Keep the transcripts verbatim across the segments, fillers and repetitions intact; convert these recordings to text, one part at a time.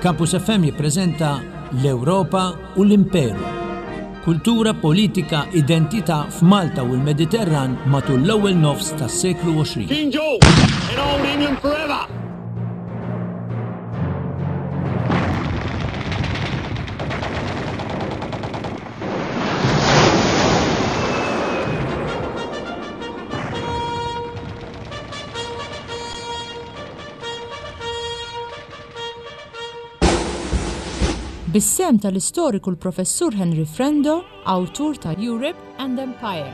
Campus F M jippreżenta L-Ewropa u l-Imperu. Kultura, politika, identità f'Malta u l-Mediterran matul l-ewwel nofs tas-seklu għoxrin. King George in Old England forever! Bis-sehem tal-istoriku l-Professur Henry Frendo, awtur ta' Europe and Empire.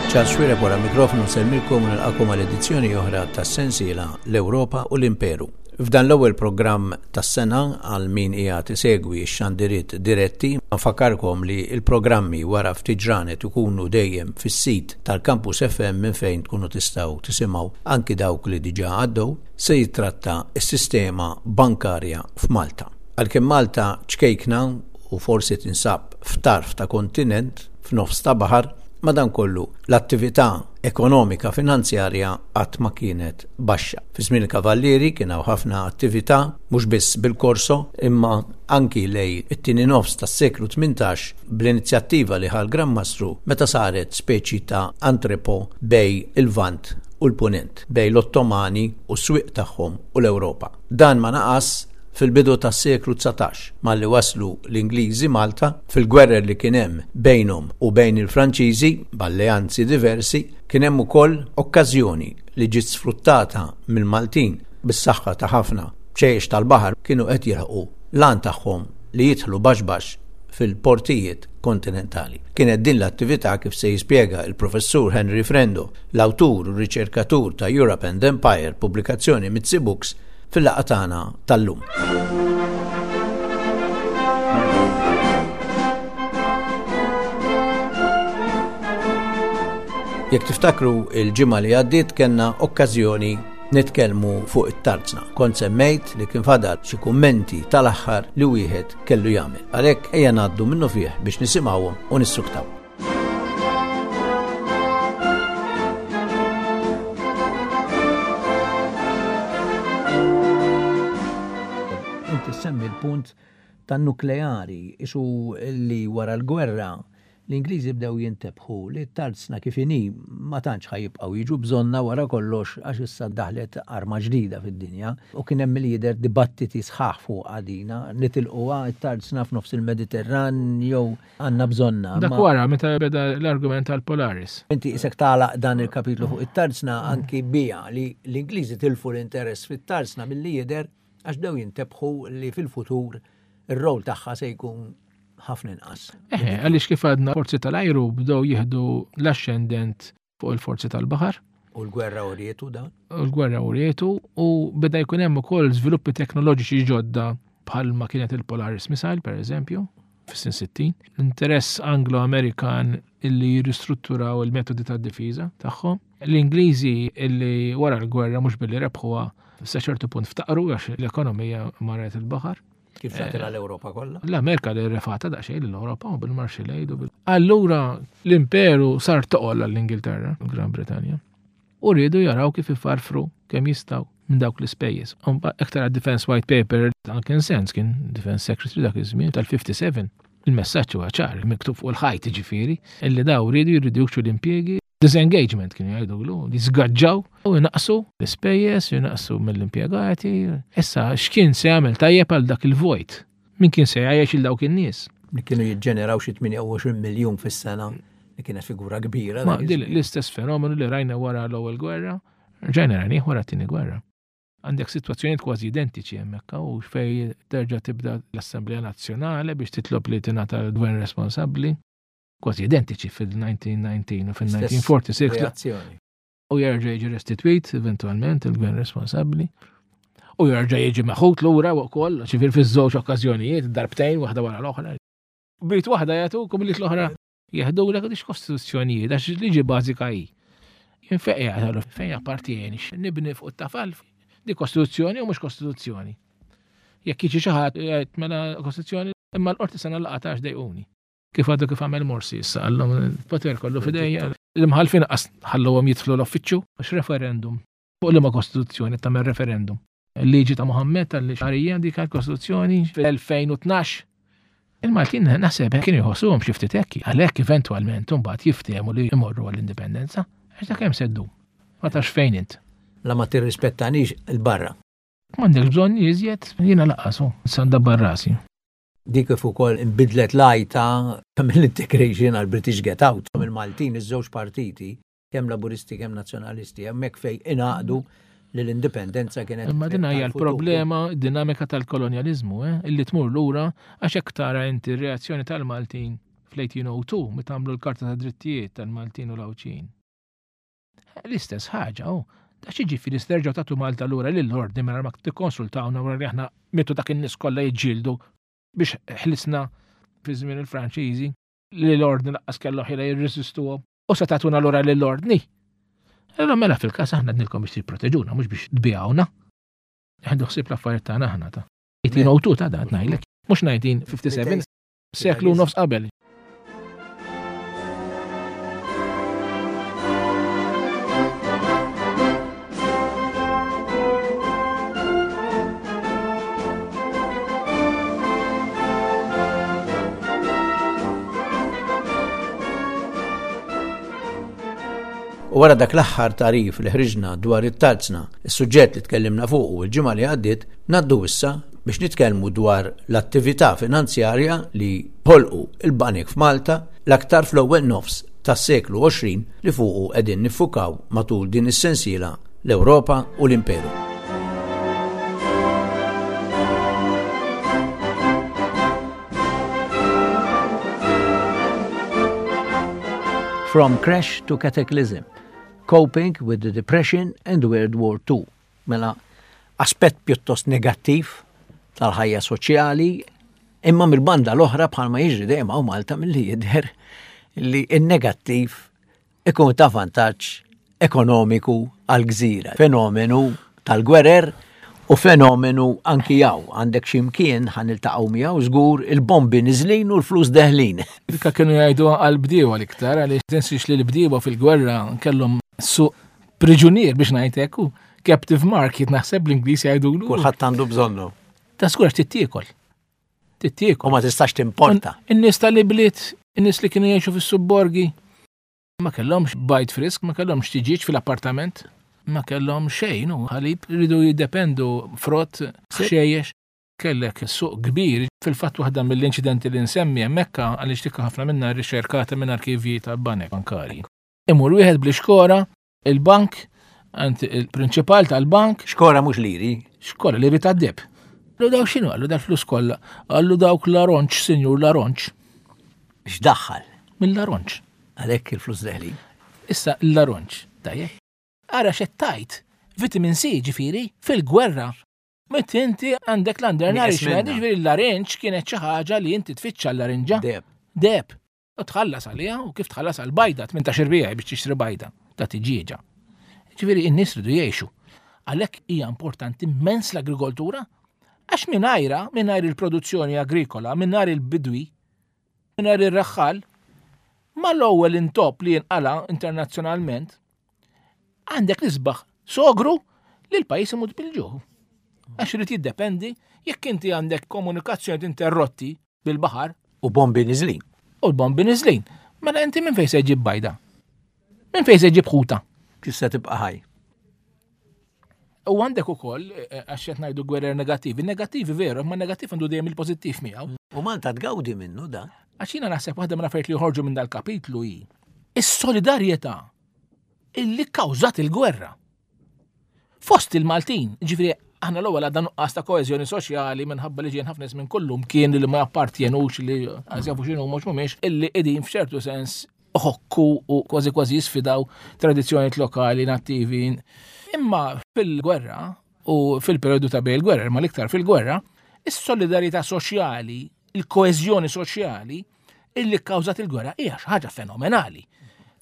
Charles Xuereb wara mikrofonu nsellmilkom u nilqakom għal edizzjoni oħra tas-sensiela L-Ewropa u l-Imperu. F'dan l-ewwel programm tas-sena għal min qiegħed isegwi x-xandiriet diretti, nfakkarkom li l-programmi wara ftit ġranet ikunu dejjem fis-sit tal-Campus F M minn fejn tkunu tistgħu tisimgħu anki dawk li diġà għaddew, se jitratta s-sistema bankarja f'Malta. Għalkemm Malta ċkejkna u forsi tinsab f'tarf ta' kontinent f'nofs ta' baħar, madankollu l-attività ekonomika finanzjarja qatt ma kienet baxxa. Fi żmien il-Kavallieri kien hawn ħafna attività mhux biss bil-korso imma anki lejn it-tieni nofs tas-seklu tmintax bl-inizjattiva li ħa l-Gran Mastru meta saret speċi ta' entrepot bejn il-Lvant u l-Punent, bejn l-Ottomani u s-swieq tagħhom u l-Ewropa. Dan ma naqas fil-bidu tas-seklu dsatax, malli waslu l-Ingliżi Malta fil-gwerra li kien hemm bejnhom u bejn il-Franċiżi b'alleanzi diversi, kien hemm ukoll okkażjoni li ġiet sfruttata mill-Maltin bis-saħħa ta' ħafna bċejjex tal-baħar kienu qed jilħqu l-għan tagħhom li jidħlu baxx baxx fil-portijiet kontinentali. Kienet din l-attività kif se jispjega il-professur Henry Frendo, l-awtur u riċerkatur ta' Europe and Empire, pubblikazzjoni Mizzi Books, fil-laqgħa tagħna tal-lum. Jekk tiftakru il-ġimgħa li għaddiet kellna okkażjoni nitkellmu fuq it-tarzna. Kont semmejt li kien fadal xi kummenti tal-aħħar li wieħed kellu jagħmel. Għalhekk ejja ngħaddu minnu fih biex nisimgħuhom u nissuktaw. Inti semmi l-punt tan-nukleari, isu li wara l-gwerra l-Ingliżi bdew jintebħu li t-tarzna kif inhi ma tantx ħa jibqgħu jiġu bżonna wara kollox għax issa daħlet arma ġdida fid-dinja u kien hemm li-jidher dibattiti sħaħ fuq għadina nitilquha t-tarzna f'nofs il-Mediterran jew għandna bżonna. Dak wara meta beda l-argument tal-Polaris. Inti isek tagħlaq dan il-kapitlu fuq it-tarzna anki bija li l-Ingliżi tilfu l-interess fit-tarzna milli jidher għax bdew jintebħu li fil-futur ir-rol tagħha se jkun ħafna inqas. Eħe, għaliex kif għadna forzi tal-ajru bdew jieħdu l-ascendent fuq il-forzi tal-baħar. U l-gwerra urietu dan? U l-gwerra urietu u beda jkun hemm ukoll żviluppi teknoloġiċi ġodda bħalma kienet il-Polaris Missile, per eżempju, fis-snin sittin. L-interess Anglo-Amerikan illi jirristrutturaw il-metodi tad-difiża tagħhom. L-Ingliżi illi wara l-gwerra mhux billi rebħuha sa ċertu punt ftaqru għax l-ekonomija marret il-baħar. Kif tagħtilha l-Ewropa kollha? L-Amerika li refata daqsxejn l-Ewropa u bil-Marshall Aid u bil- Allura l-imperu sar toqol għall-Ingilterra, Gran Bretanja. U riedu jaraw kif ifarfru kemm jistgħu minn dawk l-ispejjeż. Iktar għad Defense White Paper, Duncan Sandys kien Defense Secretary dak iż-żmien tal-fifty-seven. Il-messaġġ huwa ċar, miktub fuq il-ħajt ġifieri, illi daw riedu jirriduċu l-impjiegi, disengagement kienu jgħidulu, li żgaġġaw u jnaqsu l-ispejjeż, jnaqsu mill-impjegati. Issa x'kien se jagħmel tajjeb għal dak il-vojt? Min kien se jgħajjex il dawk in-nies? Li kienu jiġġeneraw xi tmienja u għoxrin miljun fis-sena, li kienet figura kbira. Ma din l-istess fenomenu li rajna wara l-ewwel gwerra, rġajna rajnih wara t-tieni gwerra. Għandek sitwazzjonijiet kważi identiċi hemmhekk u fej terġa' tibda l-Assemblea Nazzjonali biex titlob li tingħata l-gvern responsabbli. Kważi identiċi fil-nineteen nineteen u fil-nineteen forty-six. Reazzjoni. U jerġa' jiġi restituit eventualment il-gvern responsabbli. U jerġa' jiġi meħud lura wkoll, ġifier fiż-żewġ okkażjonijiet, darbtejn waħda wara l-oħra. Bit waħda jagħtukom li l-oħra jeħdulek għadix kostituzzjonijiet, għax liġi bażika hi. Jien fejn qiegħed fejn appartieni, nibni fuq it-tafal, di kostituzzjoni u mhux kostituzzjoni. Jekk jiġi xi ħadd jgħid mela kostituzzjoni, imma l-qorti sena laqgħa għax dejquni. Kif għadu kif għamel Morsi issa għallhom il-poter kollu f'idejja. L-imħallfin qas ħallowhom jidħlu l-uffiċċju għax referendum. Fuq liema kostituzzjoni tagħmel referendum. Il-liġi ta' Muhammed tal-xarija dik kostituzzjoni fil-elfejn u tnax. Il-Maltin naħseb kienu jħossuhom xi ftit hekk, għalhekk eventwalment imbagħad jiftehmu li jmorru għall-indipendenza. Għax dak hemm seddu. Ma tafx fejn int. La ma tirrispettanix il-barra. M'għandekx bżonn iżjed, jiena laqqasu, sa ndabbar rasi. Dik kif ukoll inbidlet l-għajta mill-integration għal British Get Out. Mill-Maltin iż-żewġ partiti, kemm Laburisti kemm Nazzjonalisti, hemmhekk fejn ingħaqdu li l-indipendenza kienet Imma din hija tal-futur. l-problema dinamika tal-kolonjaliżmu, eh, illi tmur lura għax hekk tara inti r-reazzjoni tal-Maltin fl-eighteen oh two meta għamlu l-Karta ta' Drittijiet tal-Maltin u l-Għawdxin. L-istess ħaġa, oh. Da xi ġifieri sterġgħu tagħtu Malta lura lill-ordni mingħajr ma tikkonsultawna wara li aħna mitu dak in-nies kollha jiġġieldu biex ħlisna fi żmien il-Franċiżi li l-ordni laqqas kellu ħila jirreżistuhom u se tagħtuna lura lill-ordni. Allura mela fil-każ aħna għednilkom biex tipproteġuna, mhux biex tbijawna. Għandu ħsieb l-affarijiet tagħna aħna ta' eighteen oh two ta' dan ngħidlek, mhux nineteen fifty-seven, seklu nofs qabel. U wara dak l-aħħar tarif li ħriġna dwar it-tarzna, is-suġġett li tkellimna fuqu il-ġimgħa li għaddiet, ngħaddu issa biex nitkellmu dwar l-attività finanzjarja li ħolqu il-banek f'Malta l-aktar fl-ewwel nofs tas-seklu għoxrin li fuqu qegħdin niffukaw matul din is-sensiela l-Ewropa u l-Imperu. From Crash to Cataclysm, Coping with the Depression and World War Two. Mela, aspett pjuttost negattiv tal-ħajja soċjali, imma mill-banda l-oħra bħalma jiġri dejjem hawn Malta milli jidher li n-negattiv ikun ta' vantaġġ ekonomiku għal-gżira. Fenomenu tal-gwerer u fenomenu anki jaw. Għandek ximkien ħa niltaqgħu miegħu żgur il-bombi niżlin u l-flus deħlin. Dikka kienu jgħidu għal-bdiewa l-iktar, għaliex tinsiex li l-bdiewa fil-gwerra kellhom suq priġunier biex ngħid hekk, u captive market naħseb l-Ingliż jgħidulu. Kulħadd għandu bżonnu. Ta' żgur għax tittiekol. Tittiekol. U ma tistax timporta. In-nies tal-ibliet, in-nies li kienu jgħixu fis-subborgi, ma kellhomx bajd frisk, ma kellhomx tiġiġ fil-appartament, ma kellhom xejn, u ħalib rridu jiddependu frott, xejjex. Kellek suq kbir, fil-fatt waħda mill-inċidenti li nsemmi hemmhekk għaliex tikka ħafna minna riċerkata minn arkivji ta' banek bankari. Imur wieħed bl-ixkora, il-bank, għand il-prinċipal tal-bank. Xkora mhux liri. Xkora liri ta' deb. Għallu dawk x'inhu, għallu dal-flus kollha, għallu dawk l-aronċ, sinjur l-aronċ. X'daħħal? Mill-aronċ. Għalhekk il-flus deħlin. Issa l-aronċ, tajjeb. Ara x'qed tgħid, vitamin C ġifieri fil-gwerra. Meta inti għandek l-undernourishment, Nieqes minnha. ġifieri l-arinċ kienet xi ħaġa li inti tfittxa l-arinġa. Deb. Deb. U tħallas għaliha, u kif tħallas għal bajda, tmintax irbija biex tixtri bajda ta' tiġieġa. Ġifieri n-nies ridu jgħixu. Għalhekk hija importanti immens l-agrikoltura, għax mingħajra, mingħajr il-produzzjoni agrikola, mingħajr il-bidwi, mingħajr ir-raħħal, mal-ewwel intop li jinqala internazzjonalment, għandek l-isbaħ sogru li l-pajjiż imut bil-ġuħ. Għax irid jiddependi jekk inti għandek komunikazzjoni interrotti bil-baħar. U bombi niżlin. U l-bombi niżlin. Mela inti minn fejn se ġib bajda? Minn fejn se ġib ħuta? Kif se tibqa' ħaj? U għandek ukoll, eh, eh, għax qed ngħidu gwerer negattivi, negattivi veru, imma negattiv għandu dejjem il-pożittiv miegħu. U Malta tgawdi minnu da. Għax jiena naħseb waħda mill-affarijiet li joħorġu minn dal-kapitlu hi is-solidarjetà illi kkawżat il-gwerra. Fost il-Maltin, ġifieri aħna l-ewwel għadna nuqqas ta' koeżjoni soċjali minħabba li ġejjin ħafna nies minn kullum kien li ma jappartjenux li għaż jafu x'inhu mhux mhumiex illi qegħdin f'ċertu sens uħokku u kważi kważi jisfidaw tradizzjonijiet lokali nattivi. Imma fil-gwerra u fil-periodu ta' bejn il-gwerra, imma l-iktar fil-gwerra, is-solidarjetà soċjali, il-koeżjoni soċjali illi kkawżat il-gwerra hija xi ħaġa fenomenali.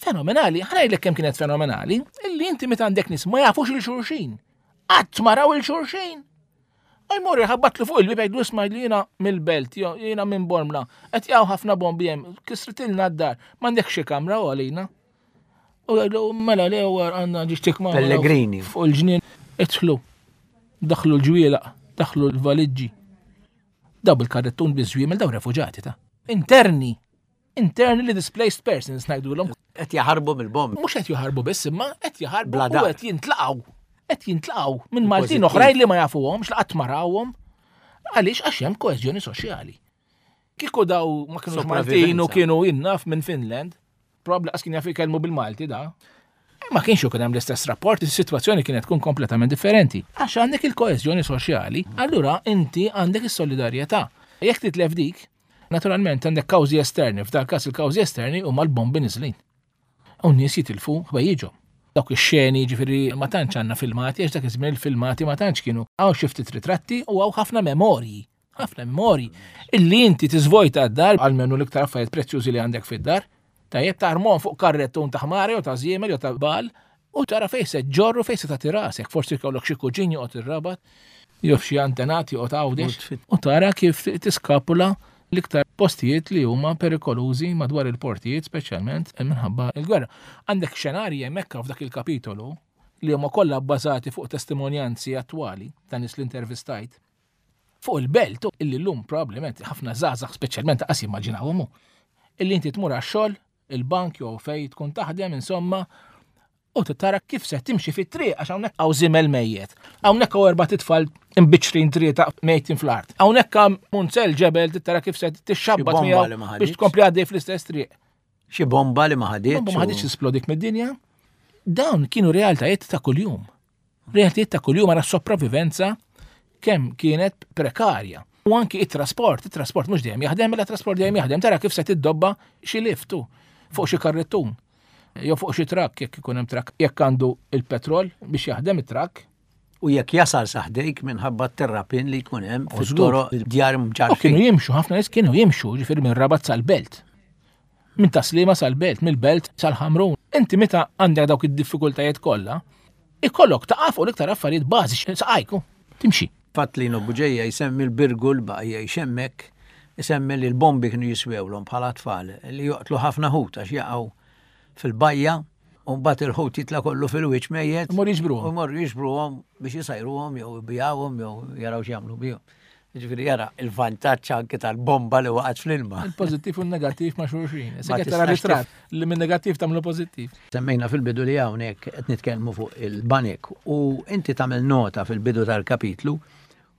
Fenomenali, ħa ngħidlek kemm kienet fenomenali, illi inti meta għandek nies ma jafux lil xulxin. Qatt ma raw lil xulxin. Għaj jħabbatlu fuq il-bib, jgħidlu: "Isma', li jiena mill-Belt, jiena minn Bormla, qed jaqgħu ħafna bombi hemm, kisritilna d-dar, m'għandek xi kamra u għalina?" U jgħidlu: "Mela le, għandna ġiġ ma' Pellegrini. Fuq il-ġnien, idħlu." Daħlu l-ġwielaq, daħlu l-valiġġi. Daw bil-karrettun biż-żwiemel, daw refuġati ta' interni. Internally displaced persons ngħidulhom. Qed jaħarbu mill-bombi. Mhux qed jaħarbu biss, imma qed jaħarbu Bla u dar. qed jintlaqgħu. Qed jintlaqgħu minn Maltin oħrajn li ma jafuhomx, li qatt ma rawhom. Għaliex? Għax hemm koeżjoni soċjali. Kieku daw ma kienux Maltin u Sopravivenza. kienu jien naf minn Finland, probabbli qas kien jaf jkellmu bil-Malti da. Ma kienx ikun hemm l-istess rapport, is-sitwazzjoni kienet tkun kompletament differenti. Għax għandek il-koeżjoni soċjali, allura inti għandek is-solidarjetà. Jekk titlef dik, naturalment għandek kawżi esterni, f'dal każ il-kawżi esterni huma l-bombi niżlin. U n-nies jitilfu ħwejjiġhom. Dawk ix-xeni, ġifieri, ma tantx għandna filmati, għax dak iż-żmien il-filmati ma tantx kienu. Hawn xi ftit ritratti u hawn ħafna memorji. Ħafna memorji. Illi inti tiżvojta d-dar, għalmenu l-iktar affarijiet prezzjużi li għandek fid-dar, tajjeb, tarmon fuq karrettun ta' ħmari u ta' żiemel jew ta' bal u tara fejn se ġorru, fejn se tagħti rasek, forsi jkollok xi kuġin joqgħod ir-Rabat, jew xi antenati joqgħod Għawdex, u tara kif tiskapula l-iktar postijiet li huma perikolużi madwar il-portijiet, speċjalment minħabba il-gwerra. Għandek xenarji hemmhekk f'dak il-kapitolu li huma kollha bbażati fuq testimonjanzi attwali ta' nies li intervistajt fuq il-Belt, illi llum probabbilment ħafna żgħażagħ speċjalment qas jimmaġinawhom, illi inti tmur għax-xogħol, il-bank jew fej tkun taħdem insomma, u tara kif se timxi fit-triq għax hawnhekk hawn żiemel mejjet. Hawnhekk hawn erba' titfal imbiċċrin, tlieta mejtin fl-art. Hawnhekk hawn munzell ġebel, tara kif se tixxabbat Xi bomba miegħu li ma biex ħaditx. tkompli għaddej fl-istess triq. Xi bomba li ma ħaditx. Bomba ma ħaditx tisplodik mid-dinja. Dawn kienu realtajiet ta' kuljum. Realtajiet ta' kuljum, għara sopravivenza kemm kienet prekarja. U anki it-trasport, it-trasport mhux dejjem jaħdem, mela trasport dejjem jaħdem, tara kif se tiddobba xi liftu fuq xi karrettun. Jew fuq xi trakk, jekk ikun hemm trakk, jekk għandu il-petrol biex jaħdem it-trakk. U jekk jasal sa ħdejk minħabba t-terrapin li jkun hemm U żgur. fit-toroq, djar U kienu mġarfin. jimxu, ħafna nies kienu jimxu, ġifieri minn Rabat sal-Belt. Minn Tas-Sliema sal-Belt, mill-Belt sal-Ħamrun. Inti meta għandek dawk id-diffikultajiet kollha, ikollok taqaf u l-iktar affarijiet bażiċi saqajku, timxi. Fatt li Buġeja jsemmi l-Birgu l-baqa jxemmek, jsemmi li l-bombi kienu jiswewlhom bħala tfal li joqtlu ħafna ħut għax jaqgħu fil-bajja u mbagħad il-ħut jitla' kollu fil-wiċċ mejjet. Imorru jiġbruhom. U jmorru jiġbruhom biex jisajruhom jew ibigħuhom jew jaraw x'jagħmlu bihom. Ġifieri jara il-vantaġġ anke tal-bomba li waqgħet fl-ilma. Il-pożittiv u n-negattiv ma' xulxin. Se Ma qed tara tistax ritratt li minn negattiv tagħmlu pożittiv. Semmejna fil-bidu li hawnhekk qed nitkellmu fuq il-banek u inti tagħmel nota fil-bidu tal-kapitlu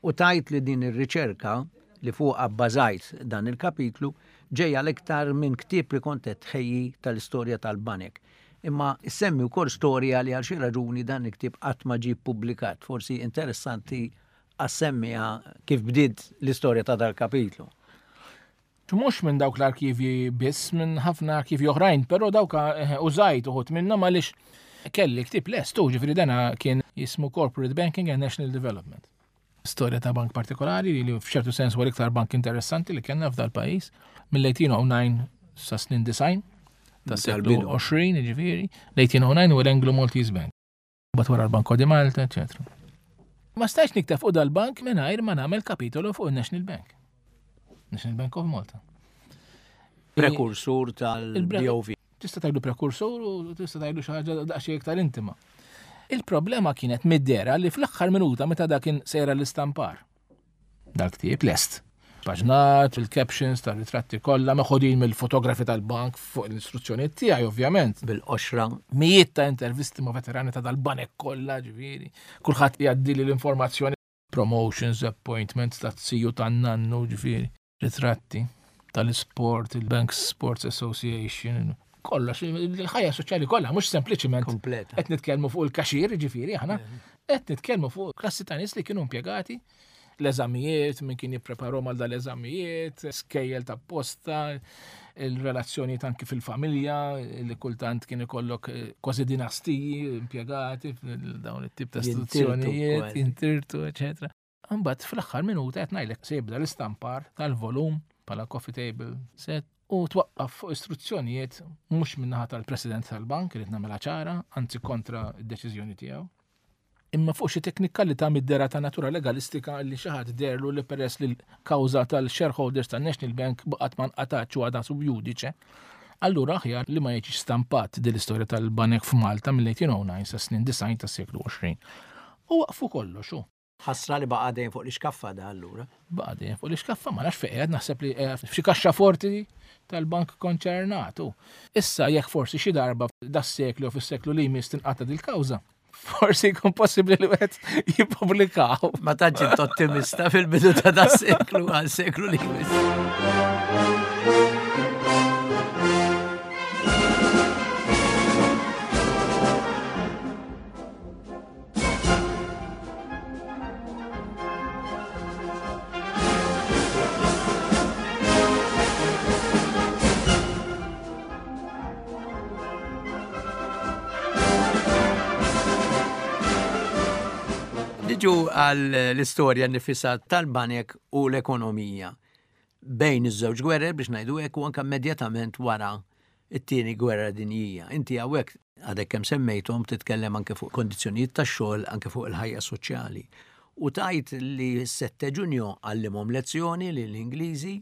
u tajt li din ir-riċerka li fuq abbażajt dan il-kapitlu ġejja l-iktar minn ktieb li kont qed tħejji tal-istorja tal-banek. Imma semmi wkoll storja li għal xi raġuni dan il-ktieb qatt ma ġie ppubblikat. Forsi interessanti għas-semmiha kif bdiet l-istorja ta' dal-kapitlu. Mhux minn dawk l-arkivji biss, minn ħafna arkivji oħrajn, però dawk eh, użajt uħud minnhom għaliex kelli ktieb lest, u ġifieri dana kien jismu Corporate Banking and National Development. Storja ta' bank partikolari li f'ċertu sens huwa l-iktar bank interessanti li kellna f'dal pajjiż mill-elf disa' mija u disgħa sa snin disgħin ta' seklu Tal-bidu. għoxrin, ġifieri, l-elf disa' mija u disgħa huwa l-Anglo Maltese Bank. Bat wara l-Banco di Malta, eccetera. Ma stajx nikteb fuq dal-bank mingħajr ma nagħmel kapitolu fuq il-National Bank. National Bank of Malta. Prekursur Il-bre- tal-B O V. Tista' tgħidu prekursur u tista' tgħidu xi ħaġa daqsxejn iktar intima. Il-problema kienet mid-dera li fl-aħħar minuta meta dak kien sejra l-istampar. Dal-ktieb lest. Paġnat, il-captions tar-ritratti kollha meħodin mill-fotografi tal-bank fuq l-istruzzjonijiet tiegħi, ovvjament. Bil-qoxra. Mijiet ta' intervisti ma' veterani ta' dal-banek kollha, ġifieri. Kulħadd jgħaddi li l-informazzjoni, promotions, appointments ta' ziju, tan-nannu, ġifieri, ritratti tal-sport, il-Bank Sports Association, kollox, il-ħajja soċjali kollha, mhux sempliċiment Kompleta. qed nitkellmu fuq il-kaxir, ġifieri, aħna qed nitkellmu fuq klassi ta' nies li kienu impjegati, l-eżamijiet, min kien jippreparhom għal dal-eżamijiet, skejjel ta' posta, il-relazzjoni anki fil-familja, li kultant kien ikollok eh, kważi dinastiji impjegati f'dawn it-tip ta' Jintirtu istituzzjonijiet, kważi. jintirtu, eċetera. Imbagħad fl-aħħar minuta, qed ngħidlek, se jibda l-istampar tal-volum bħala coffee table set. U twaqqaf fuq istruzzjonijiet mhux min-naħa tal-President tal-Bank, irid nagħmilha ċara, anzi kontra d-deċiżjoni tiegħu. Imma fuq xi teknikalità mid-dera ta' natura legalistika li xi ħadd derlu li peress li l-kawża tal-shareholders tan-National Bank baqgħet ma nqatgħatx u għadha sub judice, allura aħjar li ma jiġix stampat din l-istorja tal-banek f'Malta mill-eighteen oh nine sa snin disgħin tas-seklu għoxrin. U waqfu kollox hu. Ħasra li baqa' dejjem fuq l-iskaffa da allura. Baqa' dejjem fuq l-iskaffa, ma nafx fejn qiegħed, naħseb li qiegħed f'xi kaxxa forti tal-bank konċernat. Issa jekk forsi xi darba das-seklu jew fis-seklu li jmiss tinqata' dil-kawża, forsi jkun possibbli li wieħed jippubblikaw. Ma tantx int ottimista fil-bidu ta' das-seklu għal seklu li jmiss. Niġu għal l-istorja nifisa tal-banek u l-ekonomija bejn iż-żewġ gwerer biex ngħidu hekk u anke immedjatament wara it-tieni gwerra dinjija. Inti hawnhekk għadek kemm semmejthom titkellem anke fuq kondizzjonijiet tax-xogħol, anke fuq il-ħajja soċjali. U tajt li s-sette Ġunju għallimhom lezzjoni lill-Ingliżi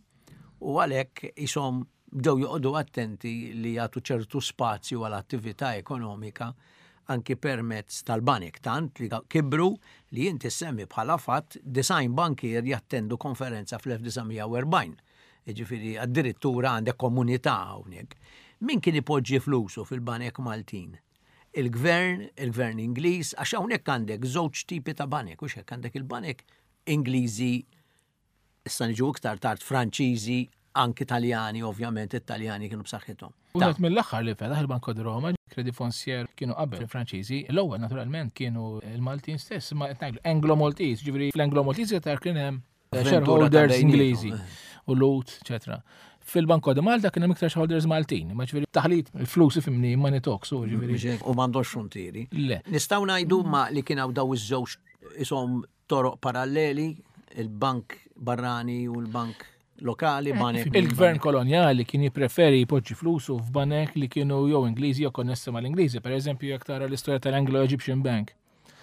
u għalhekk ishom bdew joqogħdu attenti li jagħtu ċertu spazju għal attività ekonomika anki permezz tal-banek, tant li kibru li inti semmi bħala fatt design bankier jattendu konferenza fl-elf disa' mija u erbgħin. Jiġifieri addirittura għandek komunità hawnhekk. Min kien ipoġġi flusu fil-banek Maltin? Il-gvern, il-gvern Ingliż, għax hawnhekk għandek żewġ tipi ta' banek, u x'hekk għandek il-banek Ingliżi, issa niġu iktar tard Franċiżi, anki Taljani, ovvjament it-Taljani kienu b'saħħithom. U għat mill-aħħar li fetaħ il-Banco di Roma, Credit Foncier kienu qabel il-Franċiżi, l-ewwel naturalment kienu il-Maltin stess, ma qed ngħidu Anglo-Maltese, ġifieri fl-Anglo-Maltese tar kien hemm Avventura ta' shareholders bejniethom. Ingliżi u Lut, eċetera. Fil-Banco di Malta kien hemm iktar shareholders Maltin, ma ġifieri taħlit il-flus ifimni money talks, u ġifieri. Mhux hekk, u m'għandhomx frontieri. Le. Nistgħu ngħidu ma li kien hawn daw iż-żewġ ishom toroq paralleli, il-bank barrani u l-bank lokali, Eh, banek. Il-gvern kolonjali kien jippreferi jpoġġi flusu f'banek li kienu jew Ingliżi jew konnessi mal-Ingliżi. Per eżempju, jekk tara l-istorja tal-Anglo-Egyptian Bank.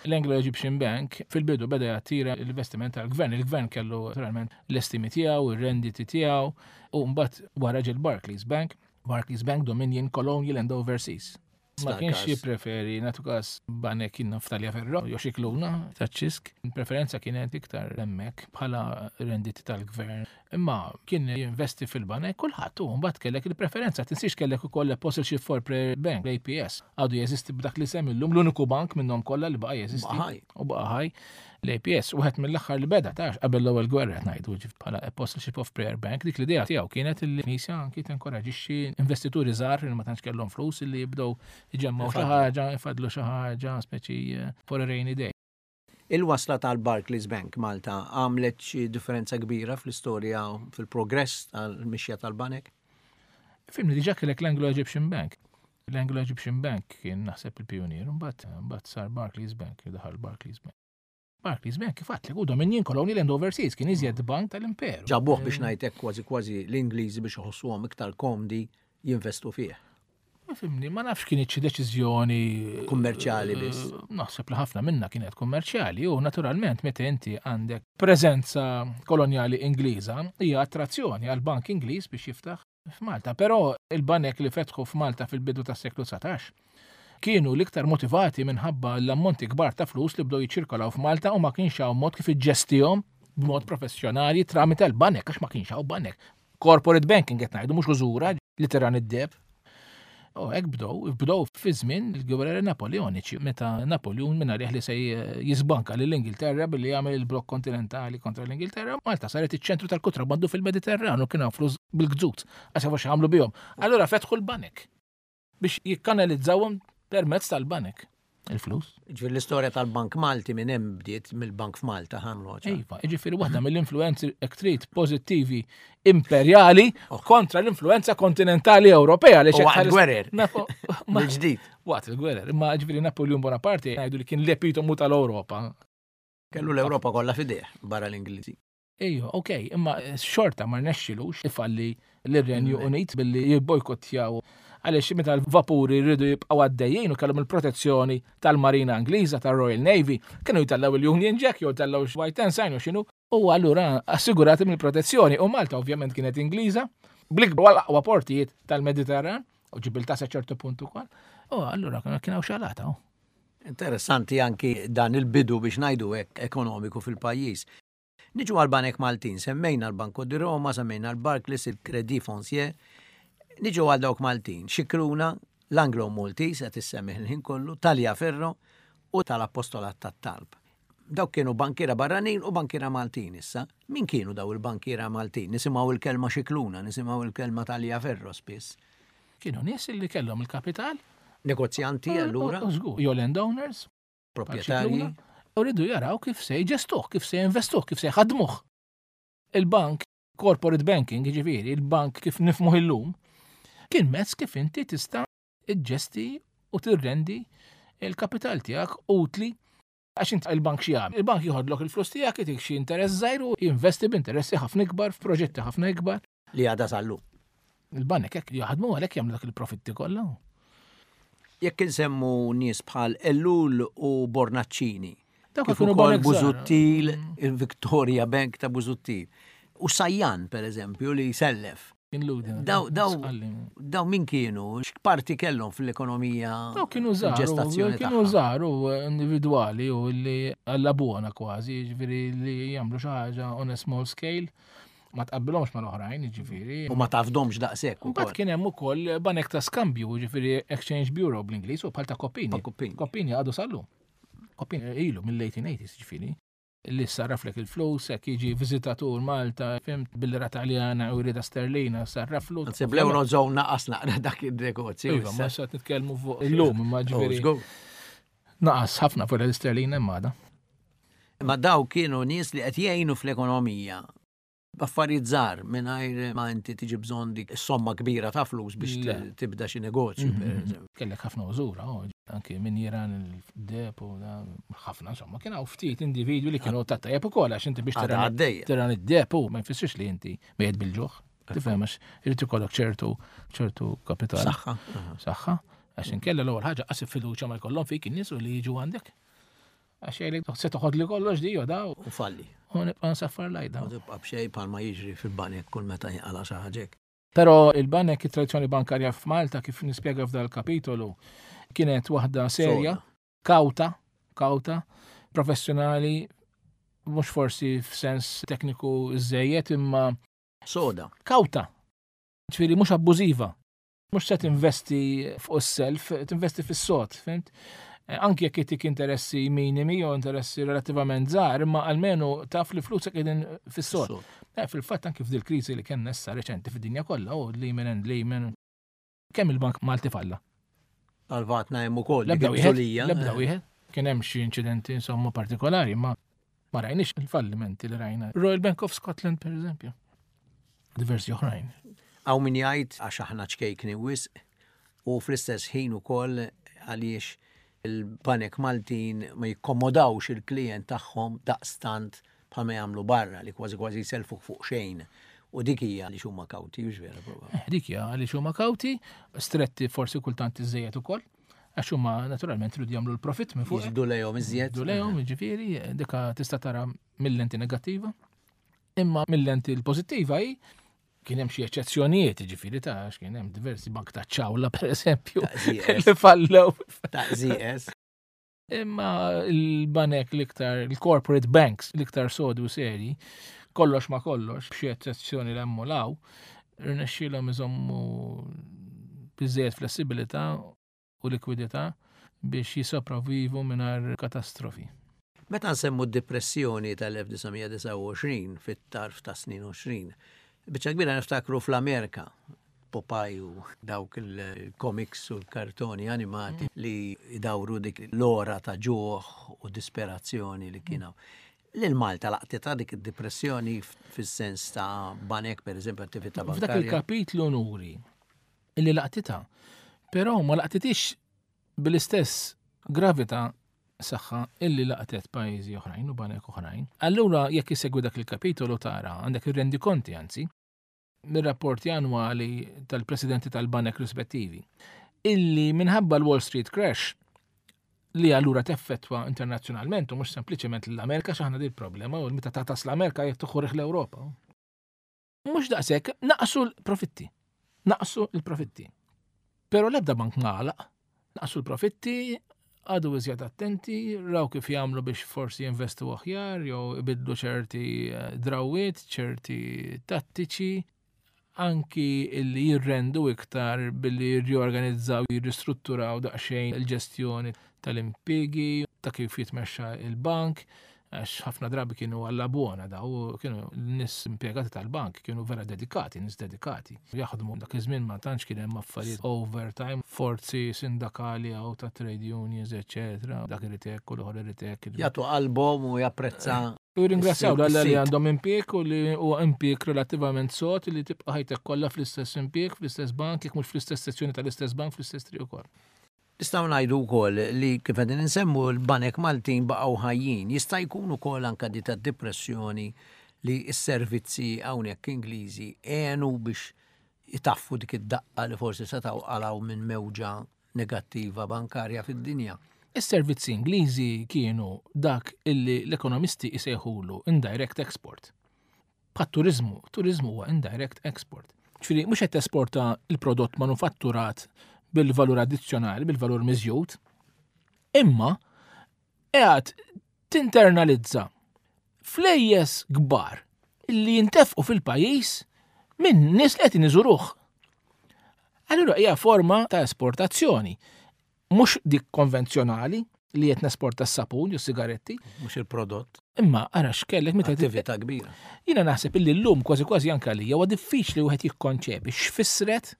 L-Anglo-Egyptian Bank fil-bidu beda jattira l-investiment tal-gvern. Il-gvern kellu naturalment l-estimi tiegħu, ir-renditi tiegħu, u mbagħad wara ġie l-Barclays Bank, Barclays Bank Dominion Colonial and Overseas. Ma Star kienx każ. jippreferi nagħtu każ banek kien Naftalia Ferro, jew xi kluna taċ-ċisk. Preferenza kienet iktar hemmhekk bħala renditi tal-gvern. Imma kien jinvesti fil-banek kulħadd u mbagħad kellek il-preferenza. Tinsiex kellek ukoll Apostleship for Prayer Bank, l-A P S. Għadu jeżisti b'dak li semmi llum l-uniku bank minnhom kollha li baqa' jeżisti. Baqa' ħaj. U baqa' ħaj l-A P S. Wieħed mill-aħħar li beda tax qabel l-ewwel gwerra qed ngħidu ġif bħala Apostleship of Prayer Bank, dik l-idea tiegħu kienet li l-Knisja anki tinkoraġixxi investituri żgħar li ma tantx kellhom flus li jibdew iġemmgħu xi Ifadlu. ħaġa, ifadlu xi ħaġa, speċi, eh, for a rainy day. Il-wasla tal-Barclays Bank Malta għamlet xi differenza kbira fl-istorja fil-progress tal-mixja tal-banek? Fimni diġà kellek l-Anglo-Egyptian Bank. L-Anglo-Egyptian Bank kien naħseb il-pionier, mbagħad, mbagħad sar Barclays Bank, daħal Barclays Bank. Barclays Bank kif għedtlek, u Dominion Colonial and Overseas kien iżjed bank tal-imperu. Ġabuh biex ngħidlek kważi kważi l-Ingliżi biex iħossuhom iktar komdi jinvestu fih. Fimni, ma nafx kienet xi deċiżjoni Kummerċjali biss. Eh, naħseb li ħafna minna kienet kummerċjali u naturalment meta inti għandek preżenza kolonjali Ingliża hija attrazzjoni għal bank Ingliż biex jiftaħ f'Malta. Però il-banek li fetħu f'Malta fil-bidu tas-seklu dsatax kienu l-iktar motivati minħabba l-ammonti kbar ta' flus li bdew jiċċirkolaw f'Malta u ma kienx hawn mod kif iġġestihom b'mod professjonali tramite l-banek, għax ma kienx hawn banek. Corporate banking qed ngħidu mhux użura li tiran id-deb. U hekk bdew, bdew fi żmien il-gwerra Napoleoniċi, meta Napoleon minn għalih li se jisbanka lill-Ingilterra billi jagħmel il-blokk kontinentali kontra l-Ingilterra, Malta saret iċ-ċentru tal-kontrabbandu fil-Mediterran u kien hawn flus bil-gżut, għax jafu x'għamlu bihom. Allura fetħu l-banek biex jikkanalizzawhom permezz tal-banek. Il-flus. Ġifieri l-istorja tal-Bank Malti minn hemm bdiet mill-Bank f'Malta ħamlu ċar. Iva, ġifieri waħda mill-influenzi hekk trid pożittivi imperjali Oh. kontra l-influenza kontinentali Ewropea li U waqt xekk ħares- gwerer. Nafu, ma- Mill-ġdid. Waqt il-gwerer, imma ġifieri Napoleon Bonaparte ngħidu li kien l-epitomu tal-Ewropa. Kellu l-Ewropa kollha f'idejh barra l-Ingliżi. Ejju, ok, imma xorta ma rnexxilux ifalli l-Renju Unit billi jibbojkottjaw, għaliex meta l-vapuri rridu jibqgħu għaddejjin u kellhom il-protezzjoni tal-Marina Ingliża, tal-Royal Navy, kienu jtellaw il-Union Jack jew jtellaw White Ensign u x'inhu, u allura assigurati mill-protezzjoni. U Malta ovvjament kienet Ingliża, bl-ikbar l-aqwa portijiet tal-Mediterran, u Ġibiltà sa ċertu punt ukoll. U allura kien hawn xalata. Interessanti anki dan il-bidu, biex ngħidu hekk, ekonomiku fil-pajjiż. Niġu għal-Banek Maltin, semmejna l-Banco di Roma, semmejna l-Barclays, il-Credit Foncier. Niġu għal dawk Maltin, Scicluna, l-Anglo Maltese, qed issemmi il-ħin kollu, Tagliaferro u tal-Apostolat tat-Talb. Dawk kienu bankiera barranin u bankiera Maltin issa. Min kienu daw il-bankiera Maltin? Nisimgħu il-kelma Scicluna, nisimgħu il-kelma Tagliaferro spiss. Kienu nies li kellhom il-kapital. Negozjanti allura? Jew landowners. Proprjetarji. U rridu jaraw kif se jġestuh, kif se jinvestuh, kif se jħadmuh. Il-bank, corporate banking, ġifieri, il-bank kif nifhmuh illum, kien mezz kif inti tista' iġġesti u tirrendi il-kapital tiegħek utli, għax int il-bank xi jagħmel? Il-bank jieħodlok il-flus tiegħek, itik xi interess żgħir u jinvesti b'interessi ħafna ikbar f'proġetti ħafna ikbar. Li għadha sal-lum. Il-banek hekk jaħdmu, għalhekk jagħmlu dak il-profitti kollha. Jekk insemmu nies bħal Ellul u Bornaccini, Dawk kif kienu ukoll banek żgħar. Busuttil, il-Victoria Bank ta' Busuttil. U Sajjan, per eżempju, li sellef. Kien ludi. Daw, daw, Sqalli. daw min kienu? X'parti kellhom fl-ekonomija? Daw kienu żgħar, il-ġestazzjoni kienu tagħha? żgħar u individwali u li għalla buona kważi, ġifieri li jagħmlu xi ħaġa on a small scale, ma tqabbilhomx mal-oħrajn, ġifieri. U ma tafdomx daqshekk Mbagħad ukoll. kien hemm ukoll banek ta' skambju, ġifieri Exchange Bureau bl-Ingliż, u bħal ta' Coppini. Ta' Coppini. Coppini għadu sal-lum. Coppini ilu mill-eighteen eighties, ġifieri. Li sarraflek il-flus, jekk jiġi viżitatur Malta, fhimt, bil-lira Taljana u jridha sterlina, sarraflu. Anzi, bl-Eurozone naqas naqra dak il-negozju. Iva, ma sa nitkellmu fuq illum, imma Oh, ġifieri żgur. naqas ħafna fuq l-isterlina imma għada. Ma daw kienu nies li qed jgħinu fl-ekonomija. B'affarijiet żgħar, mingħajr ma inti tiġi bżonn dik somma kbira ta' flus biex Le. tibda xi negozju, per eżempju. Kellek ħafna użura, oh, anki min jiran il-deb u da, ħafna, insomma, kien hawn ftit individwi li kienu ta' tajjeb ukoll, għax inti biex Għadha tiran għaddejja. tiran id-deb u ma jfissirx li inti mejjet bil-ġuħ. Tifhem, għax irid ikollok ċertu ċertu kapital. Saħħa. Saħħa. Għax inkella l-ewwel ħaġa qas fiduċja ma jkollhom fik in-nies u li jiġu għandek. Għax jgħidlek se toħod li kollox di da U falli. u nibqa' nsaffar lajda. U tibqa' b'xejn, bħalma jiġri fil-banek kull meta jinqala xi ħaġa. Però il-banek, it-tradizzjoni bankarja f'Malta, kif nispjega f'dal kapitolu, kienet waħda serja, Soda. kawta, kawta, professjonali, mhux forsi f'sens tekniku żejjed, imma Soda. kawta. Ġifieri mhux abbużiva. Mhux se tinvesti fuq is-self, tinvesti fis-sod, fhimt? Eh, Anki jekk itik interessi minimi jew interessi relattivament żgħar, imma almenu taf li flusek qegħdin fis-sod. Sod. Eh, Fil-fatt anki f'dil kriżi li kellna issa reċenti fid-dinja kollha, u Lehman and Lehman, kemm il-Bank Malti falla? Salvatna hemm ukoll dik L-ebda wieħed, il-bżulija. l-ebda wieħed. Kien hemm xi inċidenti insomma partikolari, ma ma rajniex il-fallimenti li rajna. Royal Bank of Scotland, per eżempju. Diversi oħrajn. Hawn min jgħid għax aħna ċkejkni wisq u fl-istess ħin ukoll għaliex il-banek Maltin ma jikkomodawx il-klient tagħhom daqstant bħalma jagħmlu barra, li kważi kważi jselfuk fuq xejn. U dik hija li huma kawti, hux vera probabbli? Eh, Dik hija għaliex huma kawti, stretti forsi kultant iżejjed ukoll, għax huma naturalment iridu jagħmlu l-profit minn fuq. Jiġbdu lejhom iżjed. Jiġbdu lejhom, ġifieri, dika tista' tara mill-lenti negattiva. Imma mill-lenti l-pożittiva hi kien hemm xi eċċezzjonijiet, ġifieri ta' għax kien hemm diversi bank ta' ċawla, per eżempju, Ta' Z S. li fallew. Ta' Z S. Imma il-banek l-iktar, il-corporate banks l-iktar sodi u seri, kollox ma kollox, b'xi eċċezzjoni l hemm u law, rnexxielhom iżommu biżejjed flessibilità u likwidità biex jisopravivu mingħajr katastrofi. Meta nsemmu d-depressjoni tal-elf disa' mija disgħa u għoxrin fit-tarf ta' snin għoxrin, biċċa kbira niftakru fl-Amerika, Popeye u dawk il-comics u l-kartoni animati li jdawru dik l-ora ta' ġuħ u disperazzjoni li kienu. Lil Malta laqtitha dik id-depressjoni fis-sens ta' banek, per eżempju, attività F'dak bankarja? il-kapitlu nuri illi laqtitha, però ma laqtitix bil-istess gravità saħħa illi laqtet pajjiżi oħrajn u banek oħrajn. Allura jekk isegwi dak il-kapitolu tara għandek ir-rendikonti anzi mir-rapporti annwali tal-presidenti tal-banek rispettivi illi minħabba l-Wall Street Crash li allura teffettwa internazzjonalment u mhux sempliċement l-Amerika x'aħna di l-problema u meta tatas l-Amerika jekk toħorġ l-Ewropa. Mhux daqshekk naqsu l-profitti. Naqsu l-profitti. Però l-ebda bank nagħlaq. Naqsu l-profitti, għadu iżjed attenti, raw kif jagħmlu biex forsi jinvestu aħjar jew ibidlu ċerti drawiet, ċerti tattiċi, anki illi jirrendu iktar billi jirriorganizzaw, jirristrutturaw daqsxejn il-ġestjoni tal-impjiegi, ta' kif jitmexxa il-bank, għax ħafna drabi kienu għalla buona daw, kienu n-nies impjegati tal-bank, kienu vera dedikati, nies dedikati. Jaħdmu dak iż-żmien ma tantx kien hemm affarijiet overtime, forzi sindakali għaw ta' trade unions, eċetera. Dak irid hekk u l-ieħor irid hekk. Jagħtu qalbhom u japprezza. U ringrazzjaw l-Alla li għandhom impjieg u li huwa impjieg relattivament sod li tibqa' ħajtek kollha fl-istess impjieg, fl-istess bank, jekk mhux fl-istess sezzjoni tal-istess bank, fl-istess triq ukoll. Nistgħu ngħidu wkoll li kif qegħdin insemmu l-banek Maltin baqgħu ħajjin. Jista' jkun ukoll anke di tad-depressjoni li s-servizzi hawnhekk Ingliżi għenu biex itaffu dik id-daqqa li forsi setgħu qalgħu minn mewġa negattiva bankarja fid-dinja. Is-servizzi Ingliżi kienu dak illi l-ekonomisti jsejħulu indirect export. Bħat-turiżmu, turiżmu huwa indirect export. Ġifieri mhux qed tesporta l-prodott manufatturat bil-valur addizzjonali, bil-valur miżjud, imma qiegħed tinternalizza flejjes kbar illi jintefqu fil-pajjiż minn nies li qed iżuruh. Allura hija forma ta' esportazzjoni, mhux dik konvenzjonali li qed nesporta s-sapun jew sigaretti, mhux il-prodott. Imma ara x'kellek meta attività kbira. Jiena naħseb illi llum kważi kważi anke għalija huwa diffiċli wieħed jikkonċepi x'fissret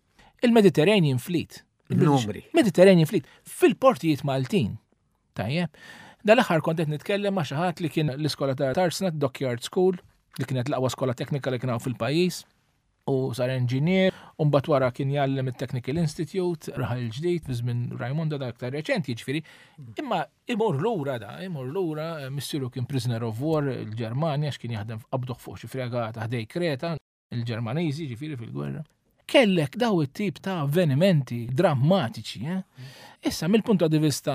il-Mediterranean Fleet. Numri. Mediterranean Fleet fil-portijiet Maltin. Tajjeb. Dal-aħħar kont qed nitkellem ma' xi ħadd li kien l-iskola ta' Tarsna, Dockyard School, li kienet l-aqwa skola teknika li kien hawn fil-pajjiż, u sar engineer, u mbagħad wara kien jgħallem it-Technical Institute, Raħal Ġdid, fi żmien Raimonda da aktar reċenti, jiġifieri. Imma imur lura da, imur lura, missieru kien prisoner of war il-Ġermanja, x'kien jaħdem qabduh fuq xi fregata ħdej Kreta, il-Ġermaniżi, jiġifieri fil-gwerra. Kellek daw it-tip ta' avvenimenti drammatiċi. Eh? Issa, mill-punt di vista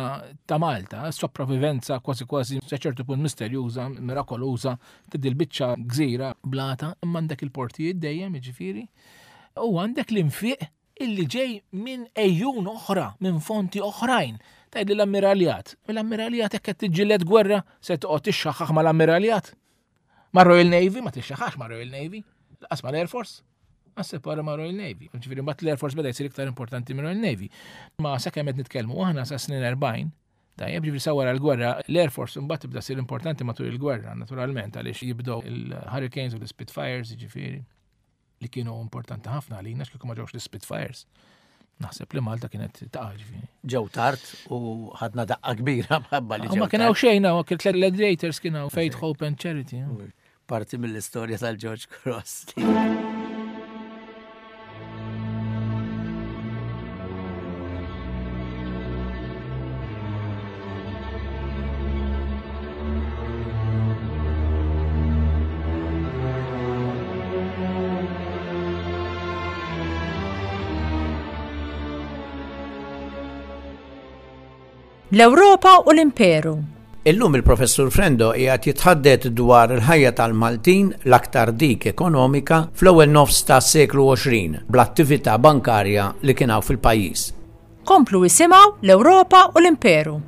ta' Malta, sopravivenza kważi kważi sa ċertu punt misterjuża, mirakoluża, tiddi l-biċċa gżira blata, imma għandek il-portijiet dejjem, jiġifieri, u għandek l-infiq illi ġej minn ejjun oħra, minn fonti oħrajn. Tgħidli l-ammiraljat. L-ammiraljat jekk qed tiġġieled gwerra, se toqgħod tixxaħħaħ mal-ammiraljat. Ma' Royal Navy, ma tixxaħħax ma' Royal Navy, laqas mal-Air Force. Għas-separa ma' Royal Navy. Ġifieri mbagħad l-Air Force beda jsir iktar importanti minn Royal Navy. Ma sakemm qed nitkellmu aħna sa snin erbgħin, tajjeb, ġifieri sa wara l-gwerra, l-Air Force mbagħad tibda ssir importanti matul il-gwerra, naturalment, għaliex jibdew il-Hurricanes u l-Spitfires, ġifieri, li kienu importanti ħafna għalina, x'kieku ma ġewx l-Spitfires. Naħseb li Malta kienet taqa' ġifieri. Ġew tard u ħadna daqqa kbira mħabba li ġew. Ma kien hawn xejn, kien tliet gladiators kien hawn Faith, Hope and Charity. Parti mill-istorja tal-George Cross. L-Ewropa u l-Imperu. Illum il-Professur Frendo qiegħed jitħaddet dwar il-ħajja tal-Maltin, l-aktar dik ekonomika, fl-ewwel nofs tas-seklu għoxrin bl-attività bankarja li kien hawn fil-pajjiż. Komplu isimgħu l-Ewropa u l-Imperu.